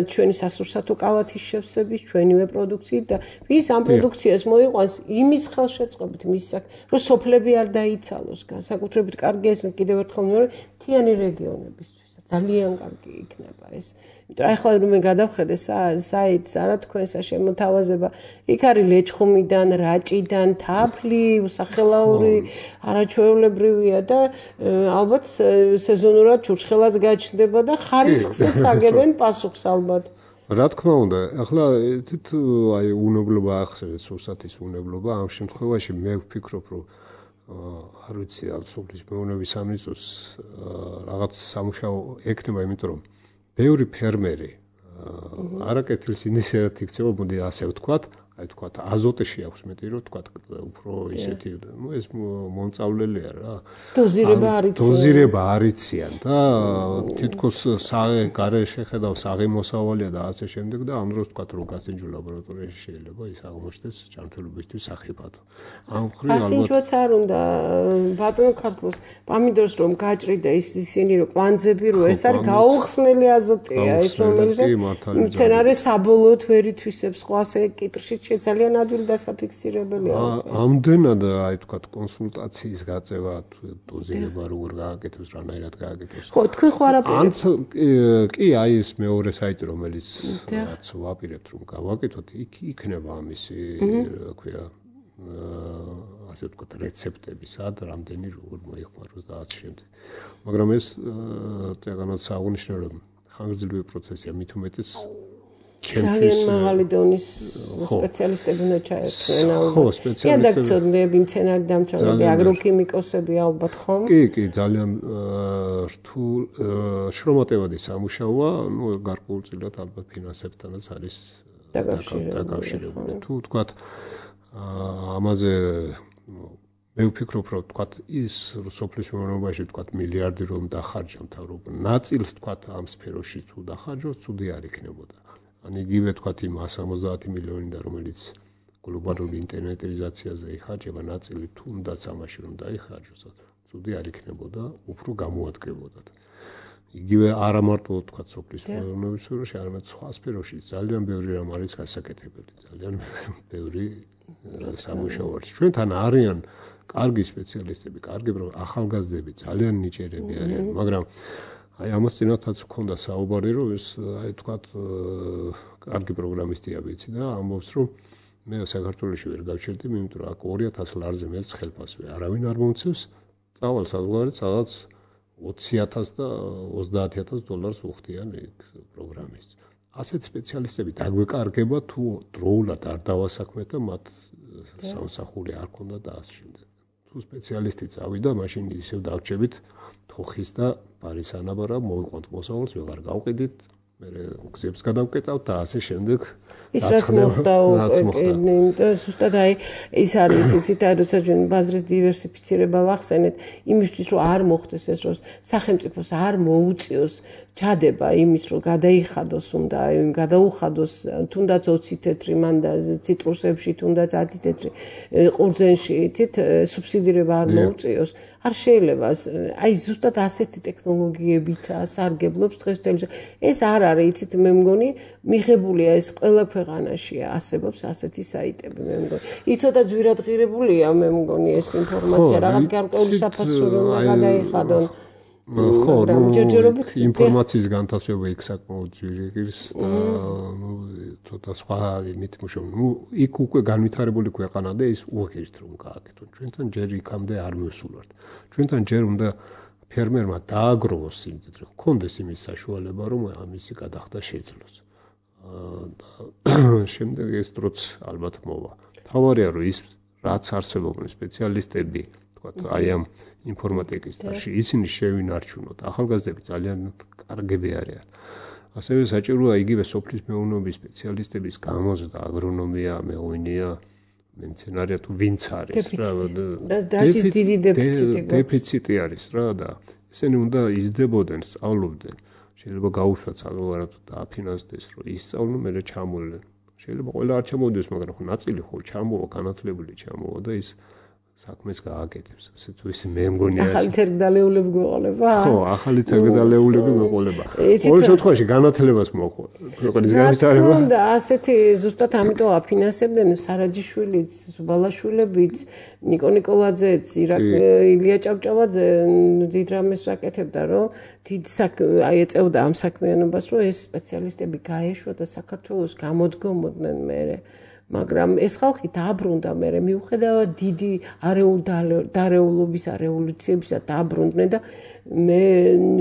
ჩვენი სასურსათო კალათის შევსების ჩვენივე პროდუქციით და ვის ამ პროდუქციას მოიყვანს იმის ხელშეწყობით მის რომ სოფლები არ დაიცალოს განსაკუთრებით კარგია ეს კიდევ ერთხელ მეორე მთიანი რეგიონებისთვის ძალიან კარგი იქნება ეს იმიტომ რომ ახლა რომ მე გადავხედე საიტს არა თქვენსა შემოთავაზება იქ არის ლეჩხუმიდან რაჭიდან თაფლი უსახელაური არაჩვეულებრივია და ალბათ სეზონურად ჩურჩხელაც გაჩნდება და ხარისხსაც აგებენ პასუხს ალბათ რა თქმა უნდა ახლა თვით აი უნებლობა ახსენეთ სურსათის უნებლობა ამ შემთხვევაში მე ვფიქრობ რომ არ ვიცი ამ სოფლის მეურნეობის სამინისტროს რაღაც სამუშაო ექნება იმიტომ რომ ბევრი ფერმერი არა კეთილს ინისიატივად იქცევა, მოდი ასე ვთქვათ, აი თქვათ აზოტში აქვს მეტი რომ თქვათ უფრო ისეთი ნუ ეს მომწავლელია რა დოზირება არიციან დოზირება არიციან და თითქოს საღე გარე შეხედავს აღიმოსავალია და ასე შემდეგ და ამ დროს თქვათ რომ გასინჯულ ლაბორატორიაში შეიძლება ის აღმოჩნდეს ჯანმრთელობისთვის სახიფათო ამ ხრივ ალბათ გასინჯვაც არ უნდა ბატონო ქართლოს პამიდორს რომ გაჭრი და ის ისინი რომ კვანძები რო ეს არის გაუხსნელი აზოტია ეს რომელიც მცენარე საბოლოოდ ვერ ითვისებს ყვას კიტრში ძალიან ადვილი დასაფიქსირებელია. ამდენად აი თქვათ კონსულტაციის გაწევა დოზირება როგორ გააკეთოს, რანაირად გააკეთოს. ხო, თქვენ ხო არაფერს. კი, აი ეს მეორე საიტი რომელიც რაც ვაპირებთ რომ გავაკეთოთ, იქ იქნება ამისი, რა ქვია, ასე ვთქვათ, რეცეპტები, სად რამდენი როგორ მოიხმაროს და ასე შემდეგ. მაგრამ ეს წეგანაც აღნიშნე რომ ხანგრძლივი პროცესია, მით უმეტეს ძალიან მაღალი დონის სპეციალისტები უნდა ჩაერთვენ ალბათ. ხო, სპეციალისტები. რედაქტორები, მცენარე დამცველები, აგროქიმიკოსები ალბათ ხომ? კი, კი, ძალიან რთულ შრომატევადი სამუშაოა, ну, გარკვეულწილად ალბათ ფინანსებთანაც არის დაკავშირებული. თუ ვთქვათ, ამაზე მე ვფიქრობ, რომ ვთქვათ, ის სოფლის მეურნეობაში ვთქვათ, მილიარდი რომ დახარჯავთ, რომ ნაწილს ვთქვათ, ამ სფეროში თუ დახარჯოთ, ცუდი არ იქნებოდა. ან იგივე თქვათ იმ სამოცდაათი მილიონი და რომელიც გლობალური ინტერნეტიზაციაზე იხარჯება ნაწილი თუნდაც ამაში რომ დაიხარჯოს ცუდი არ იქნებოდა უფრო გამოადგებოდათ იგივე არა მარტო თქვათ სოფლის მეურნეობის სფეროში არამედ სხვა სფეროში ძალიან ბევრი რამ არის გასაკეთებელი ძალიან ბევრი სამუშაო არის ჩვენთან არიან კარგი სპეციალისტები კარგი ახალგაზრდები ძალიან ნიჭიერები არიან მაგრამ აი ამას წინათაც მქონდა საუბარი რომ ეს აი თქვათ კარგი პროგრამისტია ვიცი და ამბობს რომ მე საქართველოში ვერ გავჩერდი იმიტომ რომ აქ ორი ათას ლარზე მეც ხელფასვე არავინ არ მომცევს წავალ საზღვარგარეთ სადაც ოცი ათას და ოცდაათი ათას დოლარს უხდიან ეგ პროგრამისტს ასეთ სპეციალისტები დაგვეკარგება თუ დროულად არ დავასაქმეთ და მათ სამსახური არ ქონდა და ასე შემდეგ თუ სპეციალისტი წავიდა მაშინ ისევ დავრჩებით თოხის და ბარის ანაბარა მოვიყვანთ მოსავალს ვეღარ გავყიდით მე გზებს გადავკეტავთ და ასე შემდეგ ის რაც მოხდა და ზუსტად აი ის არის ისიც აი როცა ჩვენ ბაზრის დივერსიფიცირება ვახსენეთ იმისთვის რომ არ მოხდეს ეს რომ სახელმწიფოს არ მოუწიოს ჩადება იმის რომ გადაიხადოს უნდა გადაუხადოს თუნდაც ოცი თეთრი მანდა ციტრუსებში თუნდაც ათი თეთრი ყურძენში თით სუბსიდირება არ მოუწიოს არ შეიძლება აი ზუსტად ასეთი ტექნოლოგიებით სარგებლობს დღესდღეობით ეს არ არის იცით მე მგონი მიღებულია ეს ყველა ქვეყანაშია არსებობს ასეთი საიტები მე მგონი იცოდა ძვირადღირებულია მე მგონი ეს ინფორმაცია რაღაც გარკვეული საფასური უნდა გადაიხადონ ხო, ჯერჯერობით ინფორმაციის განთავსება იქ საკმაოდ ძვირი ღირს და ნუ ცოტა სხვა იმით მუშაობ. ნუ იქ უკვე განვითარებული ქვეყანა და ის უღირთ რომ გააკეთონ. ჩვენთან ჯერ იქამდე არ მივსულვართ. ჩვენთან ჯერ უნდა ფერმერმა დააგროვოს სიმდიდრე, ჰქონდეს იმის საშუალება რომ ამისი გადახდა შეძლოს. და შემდეგ ეს დროც ალბათ მოვა. თავარია რომ ის რაც არსებობენ სპეციალისტები აი ამ ინფორმატიკის დაში ისინი შევინარჩუნოთ ახალგაზრდები ძალიან კარგები არიან ასევე საჭიროა იგივე სოფლის მეურნეობის სპეციალისტების გამოზრდა აგრონომია მეღვინეა მცენარეა თუ ვინც არის რა დეფიციტი არის რა და ისინი უნდა იზრდებოდნენ სწავლობდნენ შეიძლება გაუშვათ საზღვარგარეთ და აფინანსდეს რომ ისწავლონ მერე ჩამოვლენ შეიძლება ყველა არ ჩამოვიდეს მაგრამ ხო ნაწილი ხო ჩამოვა განათლებული ჩამოვა და ის საქმეს გააკეთებს. ასე თუ ისე მე მგონია ეს. ახალი თერგდალეულები გვეყოლება? ხო, ახალი თერგდალეულები გვეყოლება. ყოველ შემთხვევაში განათლებას მოხდა. ქვეყნის განვითარება. და ასეთი ზუსტად ამიტომ აფინანსებდნენ სარაჯიშვილიც, ზუბალაშვილებიც, ნიკო ნიკოლაძეც, ილია ჭავჭავაძე დიდ რამეს აკეთებდა, რომ დიდ აი ეწეოდა ამ საქმიანობას, რომ ეს სპეციალისტები გაეშვა და საქართველოს გამოდგომოდნენ მერე. მაგრამ ეს ხალხი დააბრუნდა მე მიუხედავად დიდი არეულ დარეულობის რევოლუციებისა დააბრუნდნენ და მე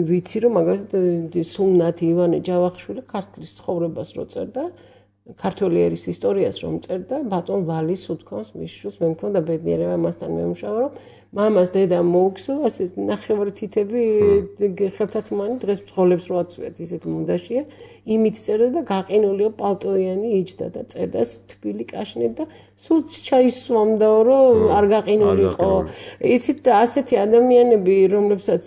ვიცი რომ მაგალითად სულნათი ივანე ჯავახიშვილი ქართლის ცხოვრებას რო წერდა ქართველი ერის ისტორიას რომ წერდა ბატონ ვალის უთქვამს მის შვილს მე მქონდა ბედნიერება მასთან მემუშავა რომ მამას დედამ მოუგსო, ასეთ ნახევარი თითები ხელთათმანი დღეს ბრძოლებს რო აწვიათ, ისეთ მუნდაშია, იმით წერდა და გაყინულიო პალტოიანი იჯდა და წერდა თბილი კაშნით და სულ ჩაისვამდაო, რომ არ გაყინულიყო. იცით, ასეთი ადამიანები, რომლებსაც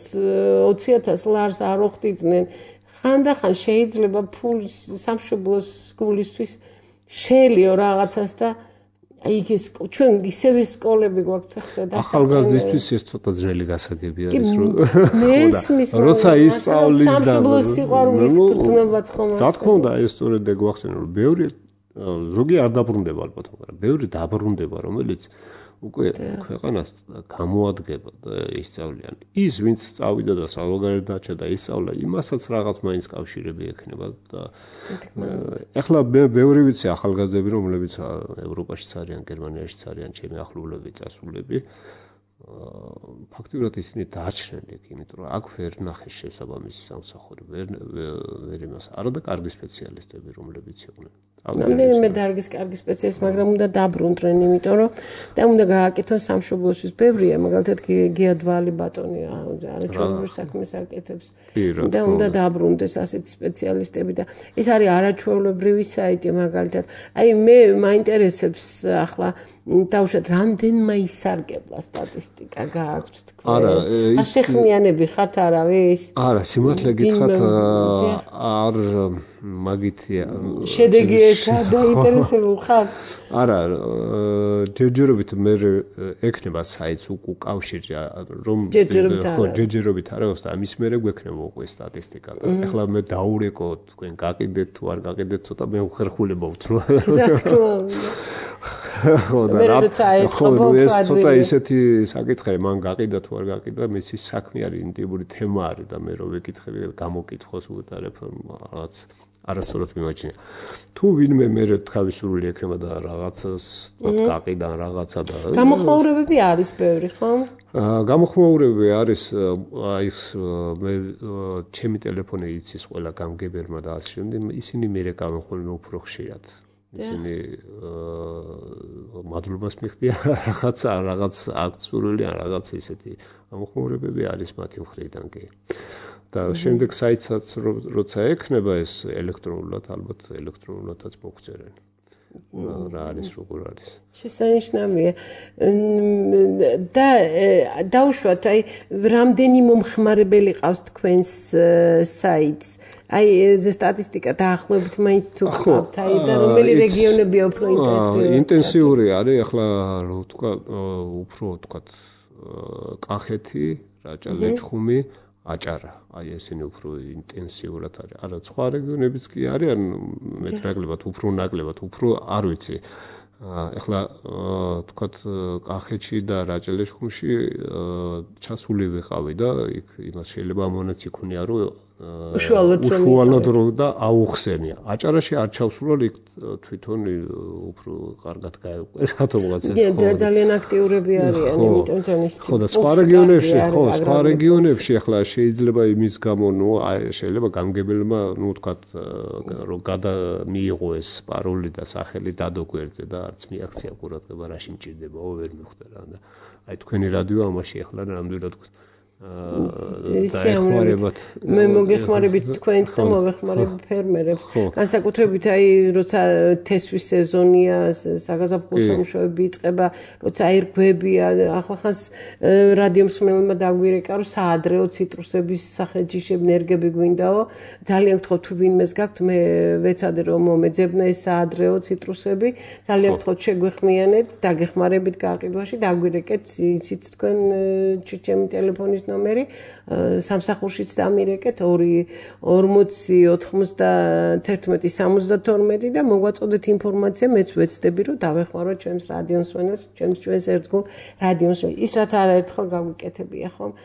ოცი ათას ლარს არ ოხდიდნენ, ხანდახან შეიძლება ფულის სამშობლოს გულისთვის შეელიო რაღაცას და აი ეს ჩვენ ისევე სკოლები გვაქვს ფეხსა და ახალგაზრდისთვის ეს ცოტა ძნელი გასაგები არის რომ როცა ისწავლის და სამშობლოს სიყვარულის გრძნობაც ხომ რა თქმა უნდა ეს სწორედ გვახსენე რომ ბევრი ზოგი არ დაბრუნდება ალბათ მაგრამ ბევრი დაბრუნდება რომელიც უკვე ქვეყანას გამოადგება და ისწავლიან ის ვინც წავიდა და საზოგადოებრივ დაჭა და ისწავლა იმასაც რაღაც მაინც კავშირები ექნება და ეხლა ბევრი ვიცი ახალგაზრდები რომლებიც ევროპაშიც არიან გერმანიაში არიან ჩემი ახლობლები წასულები ფაქტობრივად ისინი დაარჩნენ იქ იმიტომ რომ აქ ვერ ნახეს შესაბამისი სამსახური ვერ ვერ იმას არა და კარგი სპეციალისტები რომლებიც იყვნენ რამდენიმე დარგის კარგი სპეციალისტი მაგრამ უნდა დაბრუნდნენ იმიტომ რომ და უნდა გააკეთონ სამშობლოსთვის ბევრია მაგალითად გიადვალი ბატონი არაჩვეულებრივ საქმეს აკეთებს და უნდა დაბრუნდეს ასეთი სპეციალისტები და ეს არის არაჩვეულებრივი საიტი მაგალითად აი მე მაინტერესებს ახლა თავშად რამდენმა ისარგებლა სტატისტიკა გააქვთ თქვენ არა ახეხმიანები ხართ არავის არა სიმართლე გითხრათ არ მაგითია შედეგი ეხა დაინტერესებულ ხარ არა ჯერჯერობით მე ექნება საიტს უკავშირი რომ ხო ჯერჯერობით არის და ამის მერე გვექნება უკვე სტატისტიკა და ეხლა მე დაურეკო თქვენ გაყიდეთ თუ არ გაყიდეთ ცოტა მე უხერხულება ვთრო ხო და რა ხო ეს ცოტა ისეთი საკითხია მან გაყიდა თუ არ გაყიდა მისი საქმე არის ინტიმური თემა არის და მე რო ვეკითხები გამოკითხოს უყარებ რაღაც არასწორად მიმაჩნია თუ ვინმე მე თავისუფლი ექნება და რაღაცას გაყიდა რაღაცა და გამოხმაურებები არის ბევრი ხო გამოხმაურებები არის აი ეს მე ჩემი ტელეფონი იცის ყველა გამგებელმა და ასე შემდეგ ისინი მე გამოხმაურებები უფრო ხშირად ისინი მადლობას მიხდია რაღაცა რაღაც აქციური ან რაღაც ისეთი გამოხმაურებები არის მათი მხრიდან კი და შემდეგ საიტსაც როცა ექნება ეს ელექტრონულად ალბათ ელექტრონულადაც მოგწერენ რა არის როგორ არის შესანიშნავია და დაუშვათ აი რამდენი მომხმარებელი ყავს თქვენს საიტს აი ეს სტატისტიკა დაახლოებით მაინც თუ გყავთ აი და რომელი რეგიონებია უფრო ინტენსიური ინტენსიური არის ახლა რო ვთქვა უფრო ვთქვა კახეთი რაჭა ლეჩხუმი აჭარა აი ესენი უფრო ინტენსიურად არის არა სხვა რეგიონებიც კი არიან მეტნაკლებად უფრო ნაკლებად უფრო არ ვიცი ეხლა ვთქვათ კახეთში და რაჭა ლეჩხუმში ჩასული ვიყავი და იქ იმას შეიძლება ამონაც იქონია რომ უშუალოდ რო და აუხსენია აჭარაში არ ჩავსულა იქ თვითონ უფრო კარგად გაეყვე რატომღაც ეს ხო ძალიან აქტიურები არიან იმიტომ თან ის ხო და სხვა რეგიონებში ხო სხვა რეგიონებში ახლა შეიძლება იმის გამო ნუ შეიძლება გამგებელმა ნუ ვთქვათ რომ გადა მიიღო ეს პაროლი და სახელი დადოგვერდზე და არც მიაქცია ყურადღება რაში მჭირდებაო ვერ მიხვდა რა და აი თქვენი რადიო ამაში ახლა ნამდვილად დაეხმარებათ მე მოგეხმარებით თქვენს და მოვეხმარებ ფერმერებს განსაკუთრებით აი როცა თესვის სეზონია საგაზაფხულო სამუშაოები იწყება როცა აირგვებია ახლახანს რადიომსმენელმა დაგვირეკა რომ საადრეო ციტრუსების სახელჯიშები ნერგები გვინდაო ძალიან გთხოვთ თუ ვინმეს გაქვთ მე ვეცადე რომ მომეძებნა ეს საადრეო ციტრუსები ძალიან გთხოვთ შეგვეხმიანეთ დაგეხმარებით გაყიდვაში დაგვირეკეთ იცით თქვენ ჩემი ტელეფონის ნომერი სამსახურშიც დამირეკეთ ორი ორმოცი ოთხმოცდაათერთმეტი სამოცდათორმეტი და მოგვაწოდეთ ინფორმაცია მეც ვეცდები რომ დავეხმაროთ ჩვენს რადიომსმენელს ჩვენს ჩვენს ერთგულ რადიომსმენელს ის რაც არაერთხელ გაგვიკეთებია ხომ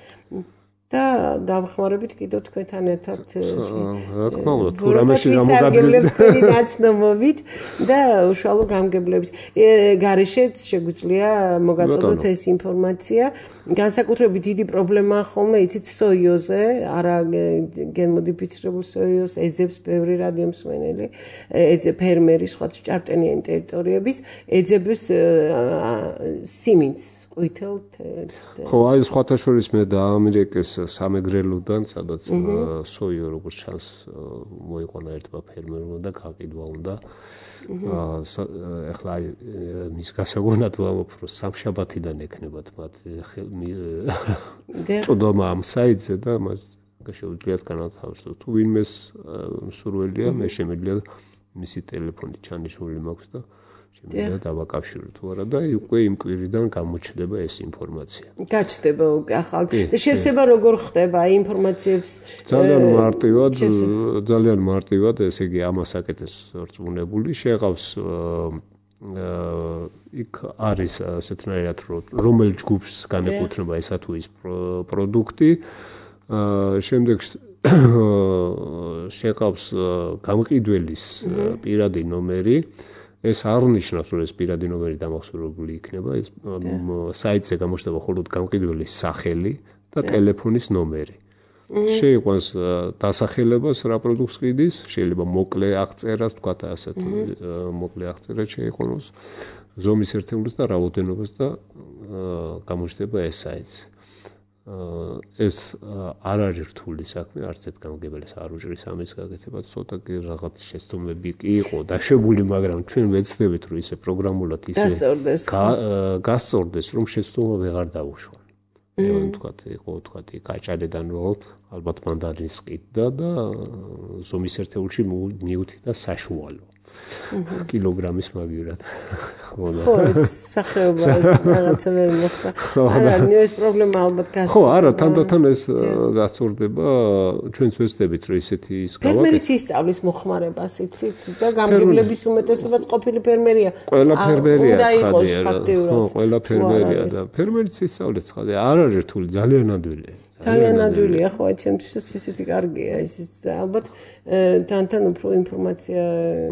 და დავხმარებით კიდევ თქვენთან ერთად რა თქმა უნდა თუ რამეში გამოგადგებით ნაცნობობით და უშუალო გამგებლების გარეშეც შეგვიძლია მოგაწოდოთ ეს ინფორმაცია განსაკუთრებით დიდი პრობლემაა ხოლმე იცით სოიოზე არა გენმოდიფიცირებულ სოიოს ეძებს ბევრი რადიომსმენელი ეძებ ფერმერი სხვა ჭარბტენიანი ტერიტორიების ეძებს სიმინდს ყვითელ ხო, აი სხვათა შორის მე და ამერიკის სამეგრელოდან, სადაც სოიო როგორც ჩანს მოიყვანა ერთმა ფერმერმა და გაყიდვა უნდა. ეხლა აი მის გასაგონად ვამბობ, რომ სამშაბათიდან ექნებათ მათ წოდომა ამ საიტზე და მას შეუძლიათ განათავსოს. თუ ვინმეს მსურველია, მე შემიძლია მისი ტელეფონი ჩანიშნული მაქვს და შემიძლია დავაკავშიროთ თუ არა და უკვე იმ კვირიდან გამოჩნდება ეს ინფორმაცია. გაჩნდება ახალ. შევსება როგორ ხდება აი ინფორმაციებს? ძალიან მარტივად, ძალიან მარტივად, ესე იგი ამას აკეთებს რწმუნებული, შეყავს იქ არის ასეთნაირად რომელ ჯგუფს განეკუთვნება ესა თუ ის პროდუქტი. შემდეგ შეყავს გამყიდველის პირადი ნომერი. ეს არ ნიშნავს, რომ ეს პირადი ნომერი დამახსოვრებული იქნება, ეს საიტზე გამოჩნდება მხოლოდ გამყიდველის სახელი და ტელეფონის ნომერი. შეიყვანს დასახელებას რა პროდუქტს ყიდის, შეიძლება მოკლე აღწერას, თქვა ასე თუ მოკლე აღწერა შეიყვანოს, ზომის ერთეულს და რაოდენობას და გამოჩნდება ეს საიტი. ეს არ არის რთული საქმე, არც ერთ გამგებელს არ უჭრის ამის გაკეთებას, ცოტა კი რაღაც შეცდომები კი იყო დაშვებული, მაგრამ ჩვენ ვეცდებით, რომ ისე პროგრამულად ისე გასწორდეს, რომ შეცდომა ვეღარ დაუშვა. მე ვთქვათ, იყო ვთქვათ, გაჭარედან რომ ალბათ მანდარინს ყიდდა და ზომის ერთეულში მიუთითდა საშუალო. კილოგრამის მაგივრად. ხო, სახეობა რაღაცა ვერ მოხდა. არა, ეს პრობლემა ალბათ გასწორდება. ხო, არა, თანდათან ეს გასწორდება, ჩვენც ვეცდებით, რომ ისეთი ის გავაკეთოთ. ფერმერიც ისწავლის მოხმარებას, იცით, და გამგებლების უმეტესობაც ყოფილი ფერმერია. ყველა ფერმერია ცხადია. ხო, ყველა ფერმერია და ფერმერიც ისწავლეს ცხადია. არ არის რთული, ძალიან ნადვილია. ძალიან ნადვილია, ხო, ჩემთვისაც ისეთი კარგია, ისიც ალბათ თანთან უფრო ინფორმაცია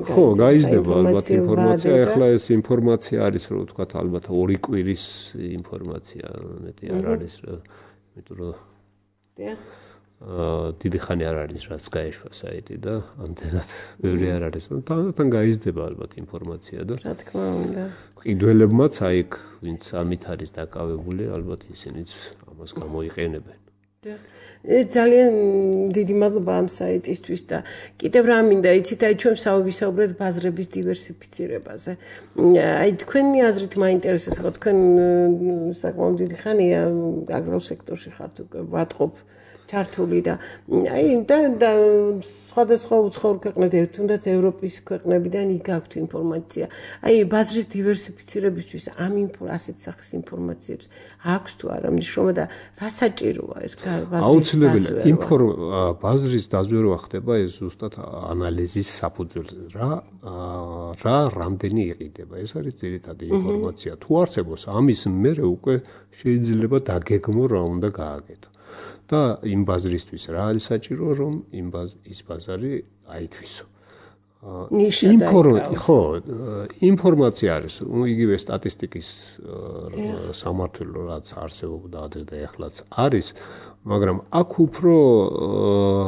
ხო, გაიზრდება ალბათ ინფორმაცია, ეხლა ეს ინფორმაცია არის, რომ ვთქვათ, ალბათ ორი კვირის ინფორმაცია, მეტი არ არის, იმიტომ რომ აა დიდი ხანი არ არის, რაც გაეშვა საიტი და ამდენად ბევრი არ არის. თანთან გაიზრდება ალბათ ინფორმაცია და რა თქმა უნდა. ყიდველებმაც აი იქ, ვინც ამით არის დაკავებული, ალბათ ისინიც ამას გამოიყენებენ. ძალიან დიდი მადლობა ამ საიტისთვის და კიდევ რა მინდა იცით აი ჩვენ ვისაუბრეთ ბაზრების დივერსიფიცირებაზე. აი თქვენი აზრით მაინტერესებს, ხო თქვენ საკმაოდ დიდი ხანია აგროსექტორში ხართ უკვე ვატყობ ჩართული და აი და სხვადასხვა უცხოურ ქვეყნებიდან თუნდაც ევროპის ქვეყნებიდან იქ გაქვთ ინფორმაცია. აი ბაზრის დივერსიფიცირებისთვის ამ ასეთ სახის ინფორმაციებს აქვს თუ არა მნიშვნელობა და რა საჭიროა ეს ბაზრის აუცილებელია ბაზრის დაზვერვა ხდება ეს ზუსტად ანალიზის საფუძველზე რა რა რამდენი იყიდება ეს არის ძირითადი ინფორმაცია თუ არსებობს ამის მერე უკვე შეიძლება დაგეგმო რა უნდა გააკეთო და იმ ბაზრისთვის რა არის საჭირო რომ იმ ის ბაზარი აითვისო ინფორმაცია ხო ინფორმაცია არის იგივე სტატისტიკის სამართლო რაც არსებობდა ადრე და ახლაც არის მაგრამ აქ უფრო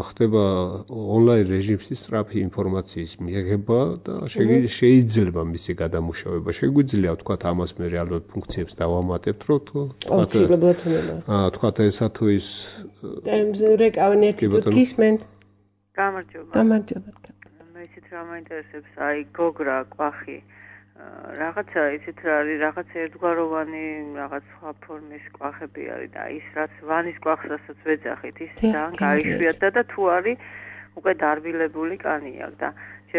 ხდება ონლაინ რეჟიმში სწრაფი ინფორმაციის მიღება და შეიძლება მისი გადამუშავება შეგვიძლია ვთქვათ ამას მე რეალურად ფუნქციებს დავამატებთ რომ თქვათ ესა თუ ის რეკავენ ერთი წუთი გისმენთ გამარჯობა გამარჯობა მე ისეთ რა მაინტერესებს აი გოგრა კვახი რაღაცა ისეთ რა არის რაღაც ერთგვაროვანი რაღაც სხვა ფორმის კვახები არის და ის რაც ვანის კვახს რასაც ვეძახით ის ძალიან გაიშვიათდა და თუ არის უკვე დარბილებული კანი აქვს და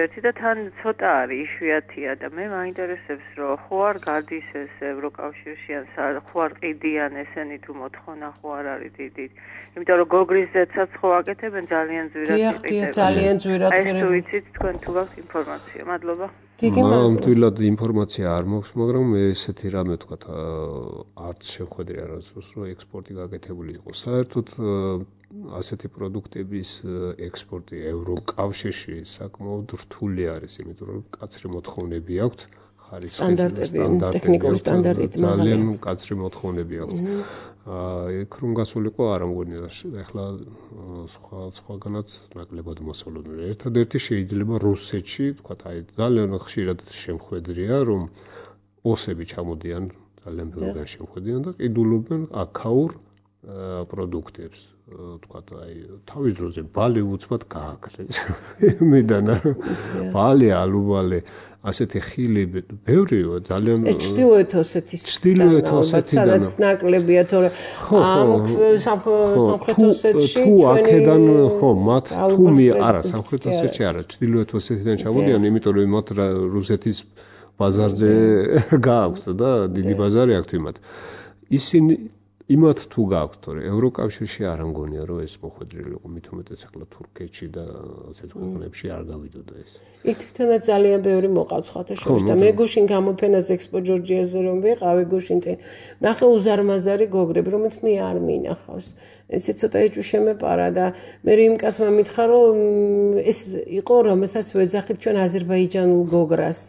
ერთი და თან ცოტა არის იშვიათია და მე მაინტერესებს რომ ხო არ გადის ეს ევროკავშირში ან ხო არ ყიდიან ესენი თუ მოთხოვნა ხო არ არის დიდი იმიტომ რომ გოგრის ზეცაც ხო აკეთებენ ძალიან ძვირად იყიდება ძალიან ძვირად ეს თუ იცით თქვენ თუ გაქვთ ინფორმაცია მადლობა მართლად ინფორმაცია არ მაქვს მაგრამ მე ესეთი რამე ვთქვათ არც შეხვედრი არასდროს რომ ექსპორტი გაკეთებული იყოს საერთოდ ასეთი პროდუქტების ექსპორტი ევროკავშირში საკმაოდ რთული არის იმიტომ რომ კაცრი მოთხოვნები აქვს სტანდარტები ტექნიკური სტანდარტები ძალიან კაცრი მოთხოვნები აქვს იქ რომ გასულიყო არ ამგონია ეხლა სხვა სხვაგანაც ნაკლებად მოსალოდნელი ერთადერთი შეიძლება რუსეთში თქვა აი ძალიან ხშირად შემხვედრია რომ ოსები ჩამოდიან ძალიან ბევრგან შევხედიან და ყიდულობენ აქაურ პროდუქტებს. თქვათ აი თავის დროზე ბალი უცბად გააკრეს. იმედან ბალი, ალუბალი, ასეთი ხილი ბევრია ძალიან ჩრდილოეთ ოსეთის ჩრდილოეთ ოსეთიდან სადაც ნაკლებია თორე ამ სამხრეთ ოსეთში თუ აქედან ხო მათ თუ მე არა სამხრეთ ოსეთში არა ჩრდილოეთ ოსეთიდან ჩამოდიან იმიტომ რომ მათ რუსეთის ბაზარზე გააქვთ და დიდი ბაზარი აქვთ იმათ ისინი იმათ თუ გააქვთ თორე ევროკავშირში არ ამგონია რომ ეს მოხვედრილი იყო მით უმეტეს ახლა თურქეთში და ასეთ ქვეყნებში არ გავიდოდა ეს იქ თვითონაც ძალიან ბევრი მოყავს ხათა შორის და მე გუშინ გამოფენას ექსპო ჯორჯიაზე რომ ვიყავი გუშინ წინ ნახე უზარმაზარი გოგრები რომელიც მე არ მინახავს ესე ცოტა ეჭვშემეპარა და მე იმ კაცმა მითხრა რომ ეს იყო რომელსაც ვეძახით ჩვენ აზერბაიჯანულ გოგრას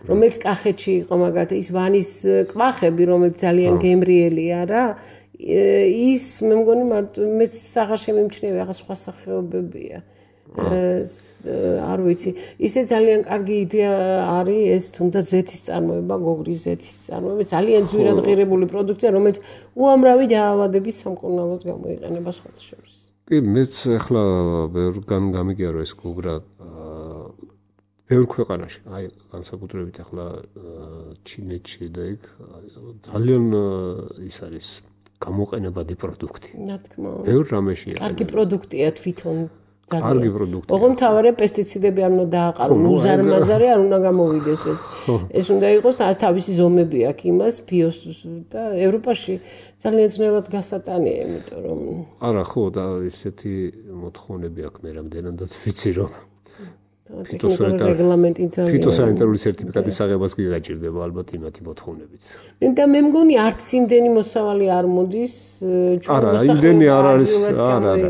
რომელიც კახეთში იყო მაგათი ის ვანის კვახები რომელიც ძალიან გემრიელია რა ის მე მგონი მარტო მე აღარ შემიმჩნევი ახლა სხვა სახეობებია არ ვიცი ისე ძალიან კარგი იდეა არის ეს თუნდაც ზეთის წარმოება გოგრის ზეთის წარმოება ძალიან ძვირად ღირებული პროდუქცია რომელიც უამრავი დაავადების სამკურნალოდ გამოიყენება სხვათა შორის კი მეც ახლა ბევრგან გამიგია რომ ეს გოგრა ბევრ ქვეყანაში აი განსაკუთრებით ახლა ჩინეთში და იქ ძალიან ის არის გამოყენებადი პროდუქტი. რა თქმა უნდა. ბევრ რამეშია. კარგი პროდუქტია თვითონ. კარგი პროდუქტია. ოღონდ მთავარია პესტიციდები არ უნდა დააყარონ, უზარმაზარი არ უნდა გამოვიდეს ეს. ეს უნდა იყოს თავისი ზომები აქვს იმას ბიოს და ევროპაში ძალიან ძნელად გასატანია, იმიტომ რომ არა ხო და ესეთი მოთხოვნები აქვს მე რამდენადაც ვიცი რომ ფიტოსანიტარული სერტიფიკატის აღებას კი გაჭირდება ალბათ იმათი მოთხოვნებით. და მე მგონი არც იმდენი მოსავალი არ მოდის არა, იმდენი არ არის, არა, არა.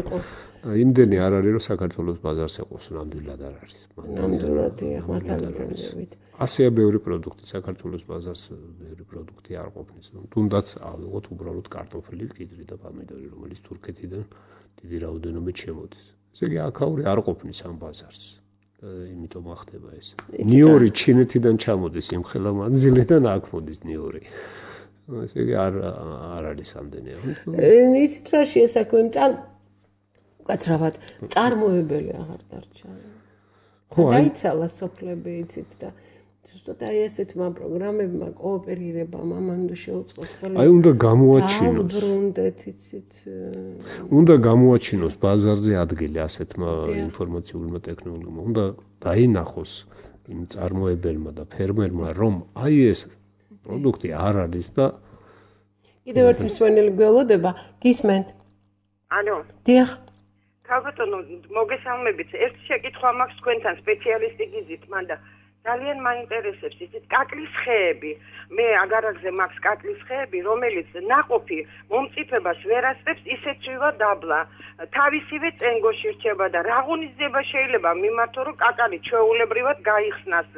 იმდენი არ არის რომ საქართველოს ბაზარს ეყოს, ნამდვილად არ არის. ნამდვილად მართალია. ასეა ბევრი პროდუქტი საქართველოს ბაზარს ბევრი პროდუქტი არ ყოფნის. თუნდაც ავიღოთ უბრალოდ კარტოფილი, კიდრი და პომიდორი, რომელიც თურქეთიდან დიდი რაოდენობით შემოდის. ესე იგი აქაური არ ყოფნის ამ ბაზარს. იმიტომ ახდება ეს. ნიორი ჩინეთიდან ჩამოდის იმხელა მანძილიდან აქ მოდის ნიორი. ესე იგი არ არ არის ამდენი. ისეთ რა შეესაქმე წარ უკაცრავად წარმოებელი აღარ დარჩა. ხო, აიცალა სოფლები იცით და ზუსტად აი ესეთმა პროგრამებმა კოოპერირებამ ამან შეუწყოს ხოლმე. აი უნდა გამოაჩინოს. დაუბრუნდეთ იცით. უნდა გამოაჩინოს ბაზარზე ადგილი ასეთმა ინფორმაციულმა ტექნოლოგიებმა. უნდა დაინახოს იმ წარმოებელმა და ფერმერმა რომ აი ეს პროდუქტი არ არის და კიდევ ერთი მსვენელი გველოდება გისმენთ. ალო. დიახ. თავბატონო მოგესალმებით. ერთი შეკითხვა მაქვს თქვენთან სპეციალისტი გიზით, მანდა ძალიან მაინტერესებს ისეთ კაკლის ხეები. მე აგარაგზე მაქვს კაკლის ხეები, რომელიც ნაყოფი მომწიფებას ვერ ასწრებს, ისეთ წვივა დაბლა. თავისივე წენგოში რჩება და რა ღონისძიება შეიძლება მიმართო, რომ კაკალი ჩვეულებრივად გაიხსნას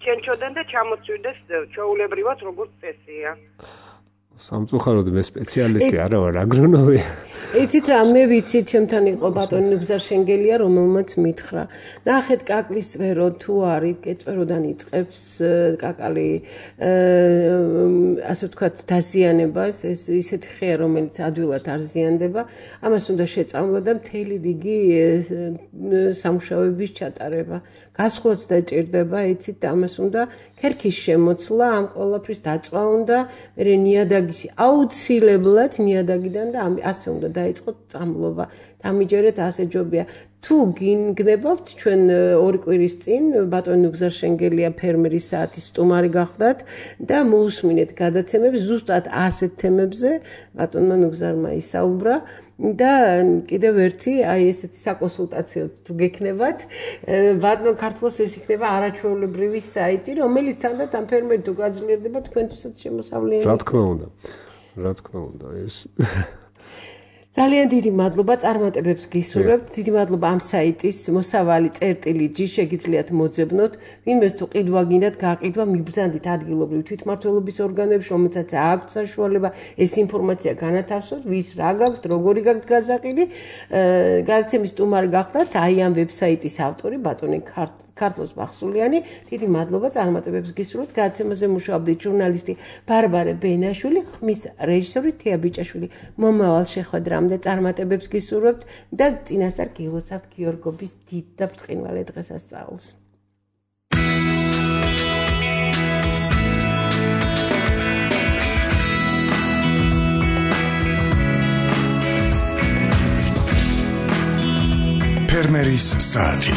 ჩენჩოდან და ჩამოცვიდეს ჩვეულებრივად როგორც წესია. სამწუხაროდ მე სპეციალისტი არა ვარ, აგრონომი. იცით რა, მე ვიცი, ჩემთან იყო ბატონი ნუგზარ შენგელია, რომელმაც მითხრა. ნახეთ კაკლის წვერო თუ არის, წვეროდან იწყებს კაკალი ასე ვთქვათ დაზიანებას, ეს ისეთი ხეა, რომელიც ადვილად არ ზიანდება, ამას უნდა შეწამლა და მთელი რიგი სამუშაოების ჩატარება. გასვლაც დაჭირდება, იცით, ამას უნდა ქერქის შემოცლა, ამ ყველაფრის დაწვა უნდა, მე ნიადაგში აუცილებლად ნიადაგიდან და ასე უნდა დაიწყოთ წამლობა. დამიჯერეთ ასე ჯობია. თუ გინგნებავთ ჩვენ ორი კვირის წინ ბატონი ნუგზარ შენგელია ფერმერის საათის სტუმარი გახდათ და მოусმინეთ გადაცემებს ზუსტად ასეთ თემებზე ბატონმა ნუგზარმა ისაუბრა და კიდევ ერთი აი ესეთი საკონსულტაციო თუ გექნებათ ბატონ ქართლოს ეს იქნება არაჩვეულებრივი საიტი რომელიც სანდათ ამ ფერმერი თუ გაძლიერდება თქვენთვისაც შემოსავლიანი. რა თქმა უნდა. რა თქმა უნდა ეს ძალიან დიდი მადლობა წარმატებებს გისურვებთ. დიდი მადლობა ამ საიტის მოსავალი წერტილი ჯი შეგიძლიათ მოძებნოთ. ვინმეს თუ ყიდვა გინდათ გაყიდვა, მიბრძანდით ადგილობრივ თვითმმართველობის ორგანოებში, რომელსაც აქვთ საშუალება ეს ინფორმაცია განათავსოთ, ვის რა გაქვთ, როგორი გაქვთ გაზაყიდი. გადაცემის სტუმარი გახდათ აი ამ ვებსაიტის ავტორი ბატონი ქართლოს ბახსულიანი, დიდი მადლობა წარმატებებს გისურვებთ. გადაცემაზე მუშაობდით ჟურნალისტი ბარბარე ბენაშვილი, ხმის რეჟისორი თია ბიჭაშვილი. მომავალ შეხვედრამდე წარმატებებს გისურვებთ და წინასწარ გილოცავთ გიორგობის დიდ და ბრწყინვალე დღესასწაულს. ფერმერის საათი